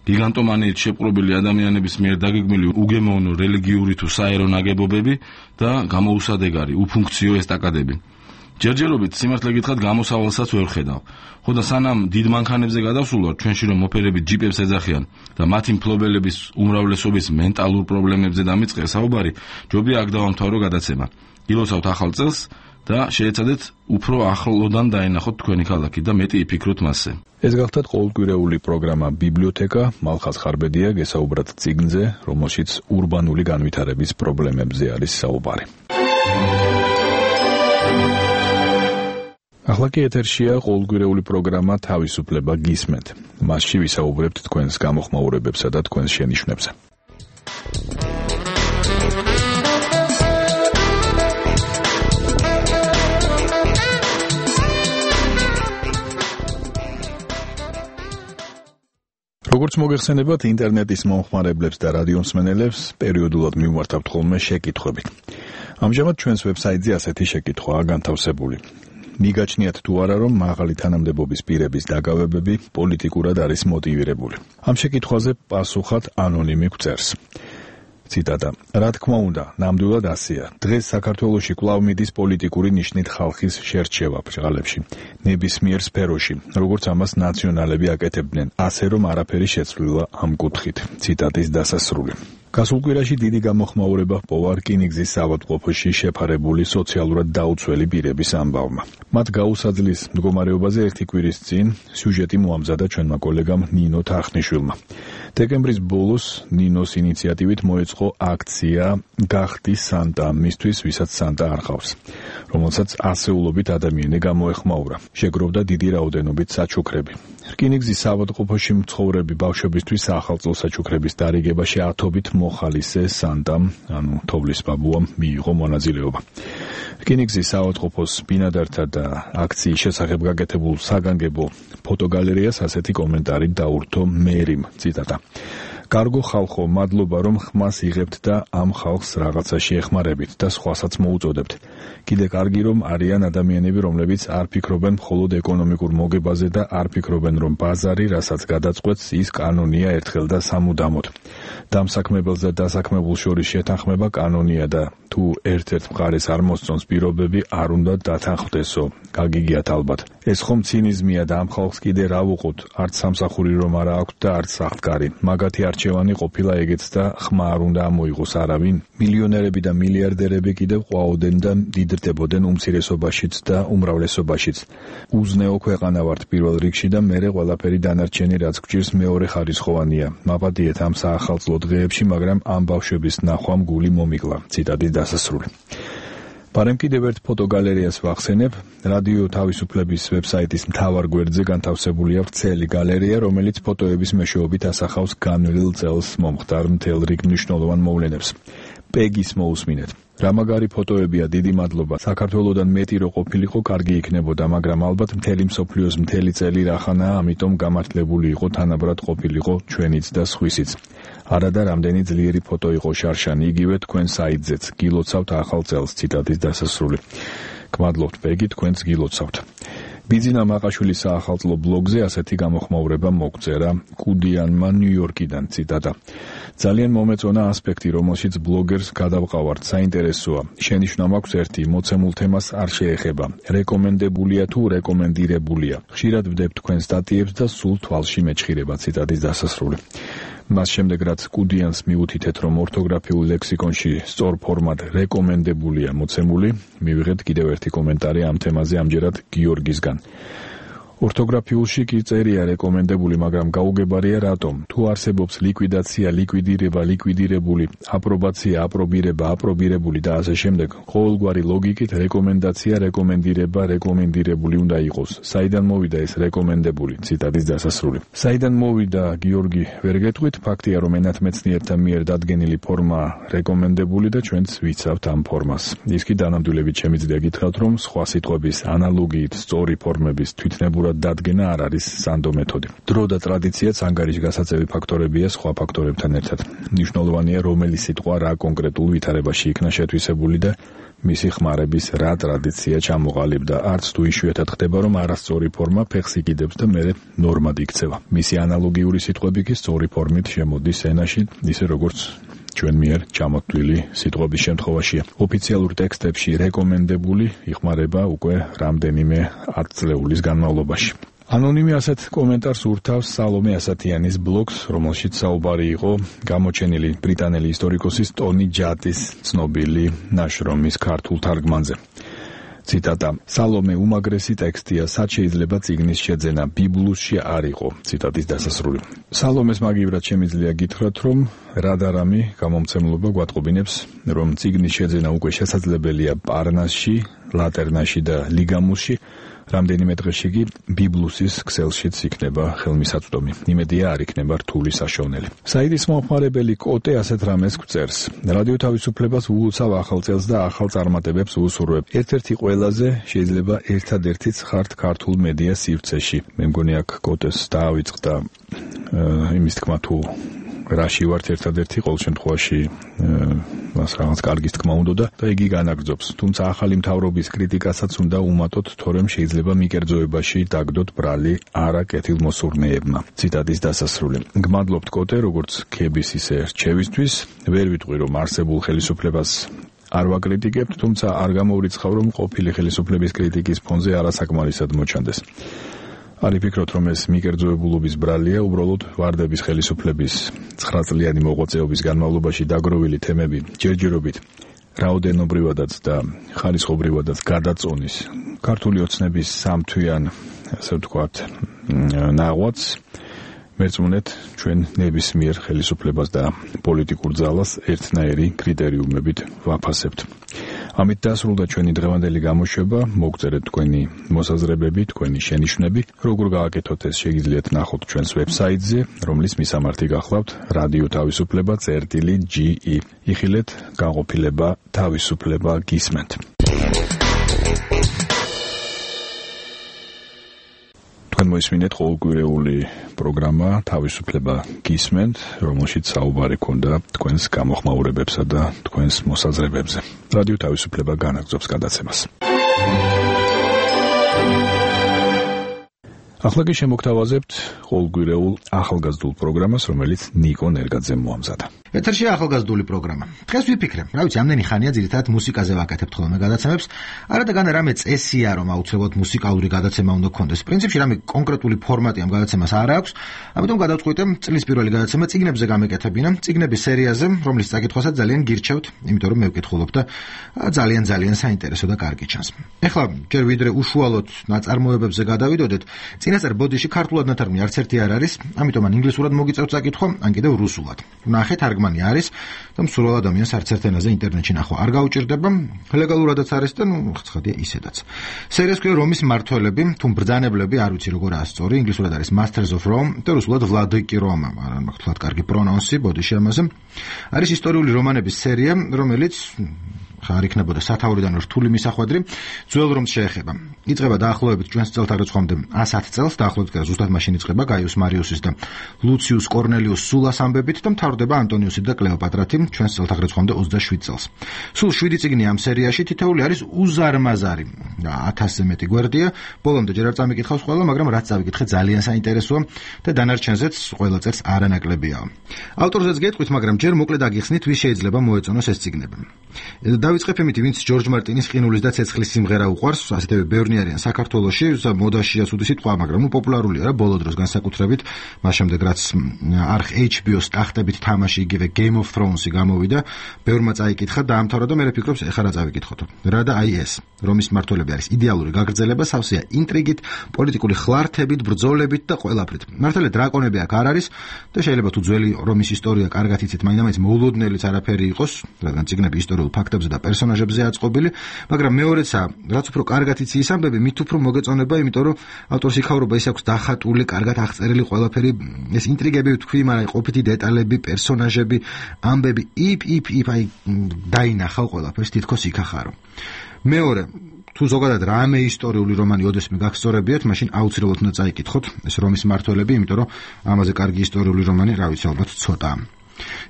გიგანტომანიით შეპყრობილი ადამიანების მიერ დაგეგმილი უგემოვნო რელიგიური თუ საერო ნაგებობები და გამოუსადეგარი, უფუნქციო ესტაკადები. ჯერჯერობით სიმართლე გითხრათ გამოსავალსაც ვერ ხედავ. ხო და სანამ დიდ მანქანებზე გადავსულ ვარ, ჩვენში რომ მოფერები ჯიპებს ეძახიან და მათი მფლობელების უმრავლესობის მენტალურ პრობლემებზე დამიწყე საუბარი, ჯობია აქ დავამთავრო გადაცემა. ილოცავთ ახალ წელს და შეეცადეთ უფრო ახლოდან დაენახოთ თქვენი ქალაქი და მეტი იფიქროთ მასზე. ეს გახლდათ ყოველკვირეული პროგრამა ბიბლიოთეკა, მალხაზ ხარბედია გესაუბრათ წიგნზე, რომელშიც ურბანული განვითარების პრობლემებზე არის საუბარი. ახლა კი ეთერშია ყოველკვირეული პროგრამა თავისუფლება გისმენთ. მასში ვისაუბრებთ თქვენს გამოხმაურებებსა და თქვენს შენიშვნებზე. როგორც მოგეხსენებათ, ინტერნეტის მომხმარებლებს და რადიომსმენელებს პერიოდულად მივმართავთ ხოლმე შეკითხვებით. ამჟამად ჩვენს ვებსაიტზე ასეთი შეკითხვაა განთავსებული. მიგაჩნიათ თუ არა, რომ მაღალი თანამდებობის პირების დაგავებები პოლიტიკურად არის მოტივირებული. ამ შეკითხვაზე პასუხად ანონიმი გვწერს. ციტატა: რა თქმა უნდა, ნამდვილად ასეა. დღეს საქართველოში კვლავ მიდის პოლიტიკური ნიშნით ხალხის შერჩევა ბრჭყალებში, ნებისმიერ სფეროში, როგორც ამას ნაციონალები აკეთებდნენ, ასე რომ არაფერი შეცვლილა ამ კუთხით. ციტატის დასასრული. გასულ კვირაში დიდი გამოხმაურება ჰპოვა რკინიგზის ავადმყოფოში შეფარებული სოციალურად დაუცველი პირების ამბავმა. მათ გაუსაძლის მდგომარეობაზე ერთი კვირის წინ სიუჟეტი მოამზადა ჩვენმა კოლეგამ ნინო თახნიშვილმა. დეკემბრის ბოლოს ნინოს ინიციატივით მოეწყო აქცია გახდი სანტა მისთვის, ვისაც სანტა არ ხავს, რომელსაც ასეულობით ადამიანი გამოეხმაურა. შეგროვდა დიდი რაოდენობით საჩუქრები. რკინიგზის ავადმყოფოში მცხოვრები ბავშვებისთვის ახალწლო საჩუქრების დარიგებაში ათობით მოხალისე სანტამ, ანუ თოვლის ბაბუამ მიიღო მონაწილეობა. რკინიგზის ავადმყოფოს ბინადართა და აქციის შესახებ გაკეთებულ საგანგებო ფოტოგალერეას ასეთი კომენტარი დაურთო მერიმ. ციტატა: კარგო ხალხო, მადლობა რომ ხმას იღებთ და ამ ხალხს რაღაცაში ეხმარებით და სხვასაც მოუწოდებთ. კიდე კარგი რომ არიან ადამიანები, რომლებიც არ ფიქრობენ მხოლოდ ეკონომიკურ მოგებაზე და არ ფიქრობენ რომ ბაზარი, რასაც გადაწყვეტს, ის კანონია ერთხელ და სამუდამოდ. დამსაქმებელს და დასაქმებულს შორის შეთანხმება კანონია და თუ ერთ-ერთ მხარეს არ მოსწონს პირობები, არ უნდა დათანხმდესო. გაგიგიათ ალბათ. ეს ხომ ცინიზმია და ამ ხალხს კიდე რა ვუყოთ, არც სამსახური რომ არა აქვთ და არც სახლკარი. მაგათი არჩევანი ყოფილა ეგეც და ხმა არ უნდა ამოიღოს არავინ. მილიონერები და მილიარდერები კიდევ ყვაოდენ და დიდრდებოდნენ უმცირესობაშიც და უმრავლესობაშიც. უზნეო ქვეყანა ვართ პირველ რიგში და მერე ყველაფერი დანარჩენი რაც გვჭირს მეორე ხარისხოვანია. მაპატიეთ ამ საახალწლო დღეებში, მაგრამ ამ ბავშვების ნახვამ გული მომიკლა. ციტატის დასასრული. პარემ კიდევ ერთ ფოტოგალერეას ვახსენებ. რადიო თავისუფლების ვებსაიტის მთავარ გვერდზე განთავსებულია ვრცელი გალერეა, რომელიც ფოტოების მეშვეობით ასახავს განვლილ წელს მომხდარ მთელ რიგ მნიშვნელოვან მოვლენებს. პეგის მოусმინეთ. რა მაგარი ფოტოებია, დიდი მადლობა. საქართველოდან მეტი რო ყოფილიყო, კარგი იქნებოდა, მაგრამ ალბათ მთელი მსოფლიოს მთელი წელი რახანაა, ამიტომ გამართლებული იყო თანაბრად ყოფილიყო ჩვენიც და სხვისიც. არა და რამდენი ძლიერი ფოტო იყო შარშანი, იგივე თქვენ საიტზეც. გილოცავთ ახალ წელს. ციტატის დასასრული. გმადლობთ პეგი, თქვენც გილოცავთ. ბიძინა მაყაშვილის საახალწლო ბლოგზე ასეთი გამოხმაურება მოგწერა კუდიანმა ნიუ-იორკიდან. ციტატა: ძალიან მომეწონა ასპექტი, რომელშიც ბლოგერს გადავყავართ, საინტერესოა. შენიშვნა მაქვს ერთი, მოცემულ თემას არ შეეხება. რეკომენდებულია თუ რეკომენდირებულია. ხშირად ვდებ თქვენ სტატიებს და სულ თვალში მეჩხირება. ციტატის დასასრული. მას შემდეგ რაც კუდიანს მიუთითეთ, რომ ორთოგრაფიულ ლექსიკონში სწორ ფორმად რეკომენდებულია მოცემული, მივიღეთ კიდევ ერთი კომენტარი ამ თემაზე, ამჯერად გიორგისგან. ორთოგრაფიულში კი წერია რეკომენდებული, მაგრამ გაუგებარია რატომ? თუ არსებობს ლიკვიდაცია, ლიკვიდირება, ლიკვიდირებული, აპრობაცია, აპრობირება, აპრობირებული და ასე შემდეგ, ყოველგვარი ლოგიკით რეკომენდაცია, რეკომენდირება, რეკომენდირებული უნდა იყოს. საიდან მოვიდა ეს რეკომენდებული? ციტატის დასასრული. საიდან მოვიდა, გიორგი, ვერ გეტყვით, ფაქტია რომ ენათმეცნიერთა მიერ დადგენილი ფორმა რეკომენდებული და ჩვენც ვიცავთ ამ ფორმას. ის კი დანამდვილებით შემიძლია გითხრათ, რომ სხვა სიტყვების ანალოგიით სწორი ფორმების თვითნებურად დადგენა არ არის სანდო მეთოდი. დრო და ტრადიციაც ანგარიშგასაწევი ფაქტორებია სხვა ფაქტორებთან ერთად. მნიშვნელოვანია რომელი სიტყვა რა კონკრეტულ ვითარებაში იქნა შეთვისებული და მისი ხმარების რა ტრადიცია ჩამოყალიბდა. არც თუ იშვიათად ხდება, რომ არასწორი ფორმა ფეხს იკიდებს და მერე ნორმად იქცევა. მისი ანალოგიური სიტყვები კი სწორი ფორმით შემოდის ენაში, ისე როგორც ჩვენ მიერ ჩამოთვლილი სიტყვების შემთხვევაშია. ოფიციალურ ტექსტებში რეკომენდებული იხმარება უკვე რამდენიმე ათწლეულის განმავლობაში. ანონიმი ასეთ კომენტარს ურთავს სალომე ასათიანის ბლოგს, რომელშიც საუბარი იყო გამოჩენილი ბრიტანელი ისტორიკოსის ტონი ჯატის ცნობილი ნაშრომის ქართულ თარგმანზე. ციტატა: სალომე უმაგრესი ტექსტია, სად შეიძლება წიგნის შეძენა, ბიბლუსში არ იყო. ციტატის დასასრული. სალომეს მაგივრად შემიძლია გითხრათ, რომ რადარამი გამომცემლობა გვატყობინებს, რომ წიგნის შეძენა უკვე შესაძლებელია პარნასში, ლატერნაში და ლიგამუსში, რამდენიმე დღეში კი ბიბლუსის ქსელშიც იქნება ხელმისაწვდომი. იმედია არ იქნება რთული საშოვნელი. საიტის მომხმარებელი კოტე ასეთ რამეს გვწერს. რადიო თავისუფლებას უულცავ ახალ წელს და ახალ წარმატებებს უსურვებ. ერთ-ერთი ყველაზე შეიძლება ერთადერთიც ხართ ქართულ მედია სივრცეში. მე მგონი აქ კოტეს დაავიწყდა იმის თქმა თუ რაში ვართ ერთადერთი, ყოველ შემთხვევაში მას რაღაც კარგის თქმა უნდა და იგი განაგრძობს. თუმცა ახალი მთავრობის კრიტიკასაც უნდა უმატოთ, თორემ შეიძლება მიკერძოებაში დაგდოთ ბრალი არა კეთილმოსურნეებმა. ციტატის დასასრული. გმადლობთ კოტე, როგორც ქების ისე რჩევისთვის. ვერ ვიტყვი რომ არსებულ ხელისუფლებას არ ვაკრიტიკებთ, თუმცა არ გამოვრიცხავ რომ ყოფილი ხელისუფლების კრიტიკის ფონზე არასაკმარისად მოჩანდეს. არ ვფიქრობთ რომ ეს მიკერძოებულობის ბრალია, უბრალოდ ვარდების ხელისუფლების ცხრა წლიანი მოღვაწეობის განმავლობაში დაგროვილი თემები ჯერჯერობით რაოდენობრივადაც და ხარისხობრივადაც გადაწონის ქართული ოცნების სამთვიან, ასე ვთქვათ, ნაღვაწს მერწმუნეთ ჩვენ ნებისმიერ ხელისუფლებას და პოლიტიკურ ძალას ერთნაირი კრიტერიუმებით ვაფასებთ. ამით დასრულდა ჩვენი დღევანდელი გამოშვება. მოგწერეთ თქვენი მოსაზრებები, თქვენი შენიშვნები. როგორ გააკეთოთ ეს შეგიძლიათ ნახოთ ჩვენს ვებსაიტზე, რომლის მისამართი გახლავთ რადიო თავისუფლება წერტილი ჯი ი. იხილეთ, განყოფილება თავისუფლება გისმენთ. თქვენ მოისმინეთ ყოველკვირეული პროგრამა თავისუფლება გისმენთ, რომელშიც საუბარი ქონდა თქვენს გამოხმაურებებსა და თქვენს მოსაზრებებზე. რადიო თავისუფლება განაგრძობს გადაცემას. ახლა კი შემოგთავაზებთ ყოველკვირეულ ახალგაზრდულ პროგრამას, რომელიც ნიკო ნერგაძემ მოამზადა. ეთერში ახალგაზრდული პროგრამა. დღეს ვიფიქრე, რა ვიცი, ამდენი ხანია ძირითადად მუსიკაზე ვაკეთებთ ხოლმე გადაცემებს. არადაგან რამე წესია, რომ აუცილებლად მუსიკალური გადაცემა უნდა გქონდეს. პრინციპში რამე კონკრეტული ფორმატი ამ გადაცემას არ აქვს, ამიტომ გადავწყვიტე წლის პირველი გადაცემა წიგნებზე გამეკეთებინა, წიგნების სერიაზე, რომლის წაკითხვასაც ძალიან გირჩევთ, იმიტომ რომ მე ვკითხულობ და ძალიან ძალიან საინტერესო და კარგი ჩანს. ეხლა ჯერ ვიდრე უშუალოდ ნაწარმოებებზე გადავიდოდეთ, წინასწარ ბოდიში ქართულად ნათარგმნი არც ერთი არ არის, ამიტომ ან ინგლისურად მოგიწევთ წაკითხვა, ან კიდევ რუსულად. ნახეთ, თარგმანი არის და მსურველ ადამიანს არც ერთ ენაზე ინტერნეტში ნახვა არ გაუჭირდება, ლეგალურადაც არის და ნუ ცხადია ისედაც. სერიას ქვია რომის მმართველები, თუ ბრძანებლები, არ ვიცი როგორ ასწორი, ინგლისურად არის Masters of Rome და რუსულად Vladiki Roma, მაგრამ მაგ კარგი პრონონსი ბოდიში ამაზე. არის ისტორიული რომანების სერია, რომელიც ხარ იქნებოდა სათაურიდან რთული მისახვედრი, ძველ რომს შეეხება. იწყება დაახლოებით ჩვენს წელთაღრიცხვამდე ასი წელს, დაახლოებით კი ზუსტად მაშინ იწყება გაიუს მარიუსის და ლუციუს კორნელიუს სულას ამბებით და მთავრდება ანტონიუსი და კლეოპატრათი ჩვენს წელთაღრიცხვამდე ოცდაშვიდ წელს. სულ შვიდი წიგნი ამ სერიაში, თითოეული არის უზარმაზარი. ათასზე მეტი გვერდია, ბოლომდე ჯერ არ წამიკითხავს ყველა, მაგრამ რაც წავიკითხე ძალიან საინტერესოა და დანარჩენზეც ყველა წერს არანაკლებია. ავტორზეც გეტყვით, მაგრამ ჯერ მოკლედ აგიხსნით, ვის შეიძლება მოეწონოს ეს წიგნები. დავიწყებ იმით, ვინც ჯორჯ მარტინის ყინულის და ცეცხლის სიმღერა უყვარს, ასეთები ბევრნი არიან საქართველოში, მოდაშია სუდი სიტყვა, მაგრამ ნუ პოპულარულია რა ბოლო დროს განსაკუთრებით, მას შემდეგ რაც არხ ეიჩ ბი ოს ტახტებით თამაში იგივე Game of Thrones-ი გამოვიდა, ბევრმა წაიკითხა, დაამთავრა და მე ვფიქრობ, ეხლა რა წავიკითხოთ. რა და აი ეს, რომის მმართველები არის იდეალური გაგრძელება, სავსეა ინტრიგით, პოლიტიკური ხლართებით, ბრძოლებით და ყველაფრით. მართალია დრაკონები აქ არ არის და შეიძლება თუ ძველი რომის ისტორია კარგად იცით, მაინც მოულოდნელიც არაფერი იყოს, რადგან წიგნები ისტორიულ ფაქტებზე და პერსონაჟებზე აწყობილი, მაგრამ მეორეცა, რაც უფრო კარგად იცი ის ამბები, მით უფრო მოგეწონება, იმიტომ რომ ავტორს იქაურობა ის აქვს დახატული, კარგად აღწერილი ყველაფერი, ეს ინტრიგები თქვი, მაგრამ ყოფითი დეტალები, პერსონაჟები, ამბები, იპ იპ იპ აი დაინახავ ყველაფერს, თითქოს იქახარო. მეორე, თუ ზოგადად რამე ისტორიული რომანი ოდესმე გაგსწორებიათ, მაშინ აუცილებლად უნდა წაიკითხოთ ეს რომის მმართველები, იმიტომ რომ ამაზე კარგი ისტორიული რომანი, რა ვიცი, ალბათ ცოტაა.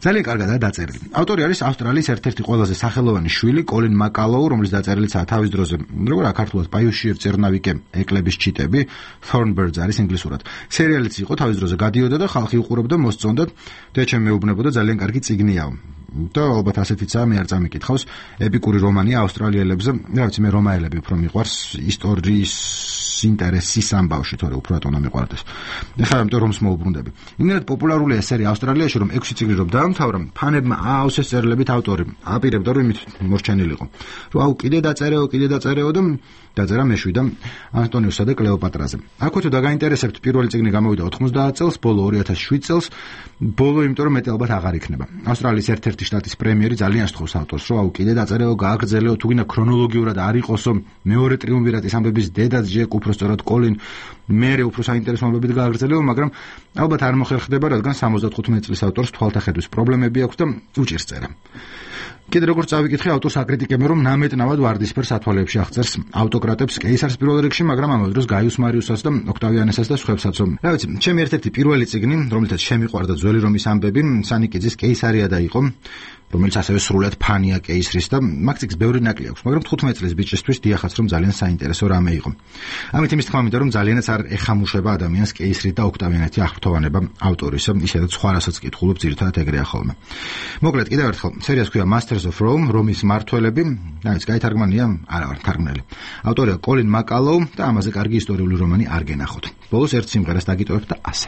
ძალიან კარგადაა დაწერილი. ავტორი არის ავსტრალიის ერთ-ერთი ყველაზე სახელოვანი შვილი, კოლინ მაკალოუ, რომლის დაწერილიცაა თავის დროზე, როგორ აქართულად პაიუშიერ წერნავიკე ეკლების ჩიტები, Thornbirds არის ინგლისურად. სერიალიც იყო თავის დროზე გადიოდა და ხალხი უყურებდა, მოსწონდა და ჩემ მეუბნებოდა ძალიან კარგი წიგნიაო. და ალბათ ასეთიცაა, მე არ წამიკითხავს, ეპიკური რომანია ავსტრალიელებზე, რა ვიცი, მე რომაელები უფრო მიყვარს ისტორიის ინტერესის ამბავში, თორე უფრო ატონა მიყვარდეს. ეხლა ამიტომ რომს მოუბრუნდები. იმენად პოპულარულია სერია ავსტრალიაში, რომ ექვსი წიგნი რომ დაამთავრა, ფანებმა აავსეს წერილებით ავტორი. აპირებდა რომ იმით მორჩენილიყო. რომ აუ კიდე დაწერეო, კიდე დაწერეო და დაწერა მეშვიდამ ანტონიუსსა და კლეოპატრაზე. აქვე თუ დაგაინტერესებთ, პირველი წიგნი გამოვიდა ოთხმოცდაათ წელს, ბოლო ორი ათას შვიდ წელს, ბოლო იმიტომ რომ მეტი ალბათ აღარ იქნება. ავსტრალიის ერთ-ერთი შტატის პრემიერი ძალიან სთხოვს ავტორს, რომ აუ კიდე დაწერეო, გააგრძელეო, თუ გინდა ქრონოლოგიურად არ იყოსო, მეორე ტრიუმვირატის ამბების დედაც ჯერ უფრო უпростоრად კოლინ მერე უფრო საინტერესოებით გააგრძელება, მაგრამ ალბათ არ მოხერხდება, რადგან სამოცდათხუთმეტი წლის ავტორს თვალთახედვის პრობლემები აქვს და უჭირს წერა. კიდე როგორც წავიკითხე, ავტორს აკრიტიკებენ, რომ ნამეტნავად ვარდისფერ სათვალეებში აღწერს ავტოკრატებს, კეისარს პირველ რიგში, მაგრამ ამავე დროს გაიუს მარიუსას და ოქტავიანესას და სხვებსაც. რა ვიცი, ჩემი ერთ-ერთი პირველი წიგნი, რომლითაც შემიყვარდა ძველი რომის ამბები, სანიკიძის კეისარია და იყო, რომელიც ასევე სრულად ფანია კეისრის და მაგ წიგნს ბევრი ნაკლი აქვს, მაგრამ თხუთმეტი წლის ბიჭისთვის დიახაც რომ ძალიან საინტერესო რამე იყო. ამით იმის თქმა მინდა რომ ძალიანაც არ ეხამუშება ადამიანს კეისრი და ოქტავიანეთი აღფრთოვანება ავტორის, ისედაც სხვა რასაც კითხულობ ძირითადად ეგრეა ხოლმე. მოკლედ კიდევ ერთხელ, სერიას ჰქვია Masters of Rome, რომის მმართველები, რაიც გაითარგმანია, არა ვარ თარგმნელი. ავტორია კოლინ მაკალოუ და ამაზე კარგი ისტორიული რომანი არ გენახოთ. ბოლოს ერთ სიმღერას დაგიტოვებ და ასე.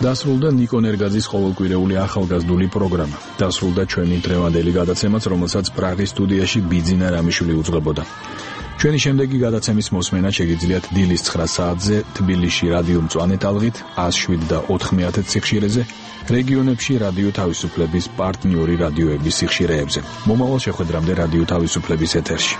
დასრულდა ნიკო ნერგაძის ყოველკვირეული ახალგაზრდული პროგრამა. დასრულდა ჩვენი დღევანდელი გადაცემაც, რომელსაც პრაღის სტუდიაში ბიძინა რამიშვილი უძღვებოდა. ჩვენი შემდეგი გადაცემის მოსმენა შეგიძლიათ დილის ცხრა საათზე თბილისში რადიო მწვანე ტალღით ას შვიდ და ოთხმეათე სიხშირეზე, რეგიონებში რადიო თავისუფლების პარტნიორი რადიოების სიხშირეებზე. მომავალ შეხვედრამდე რადიო თავისუფლების ეთერში.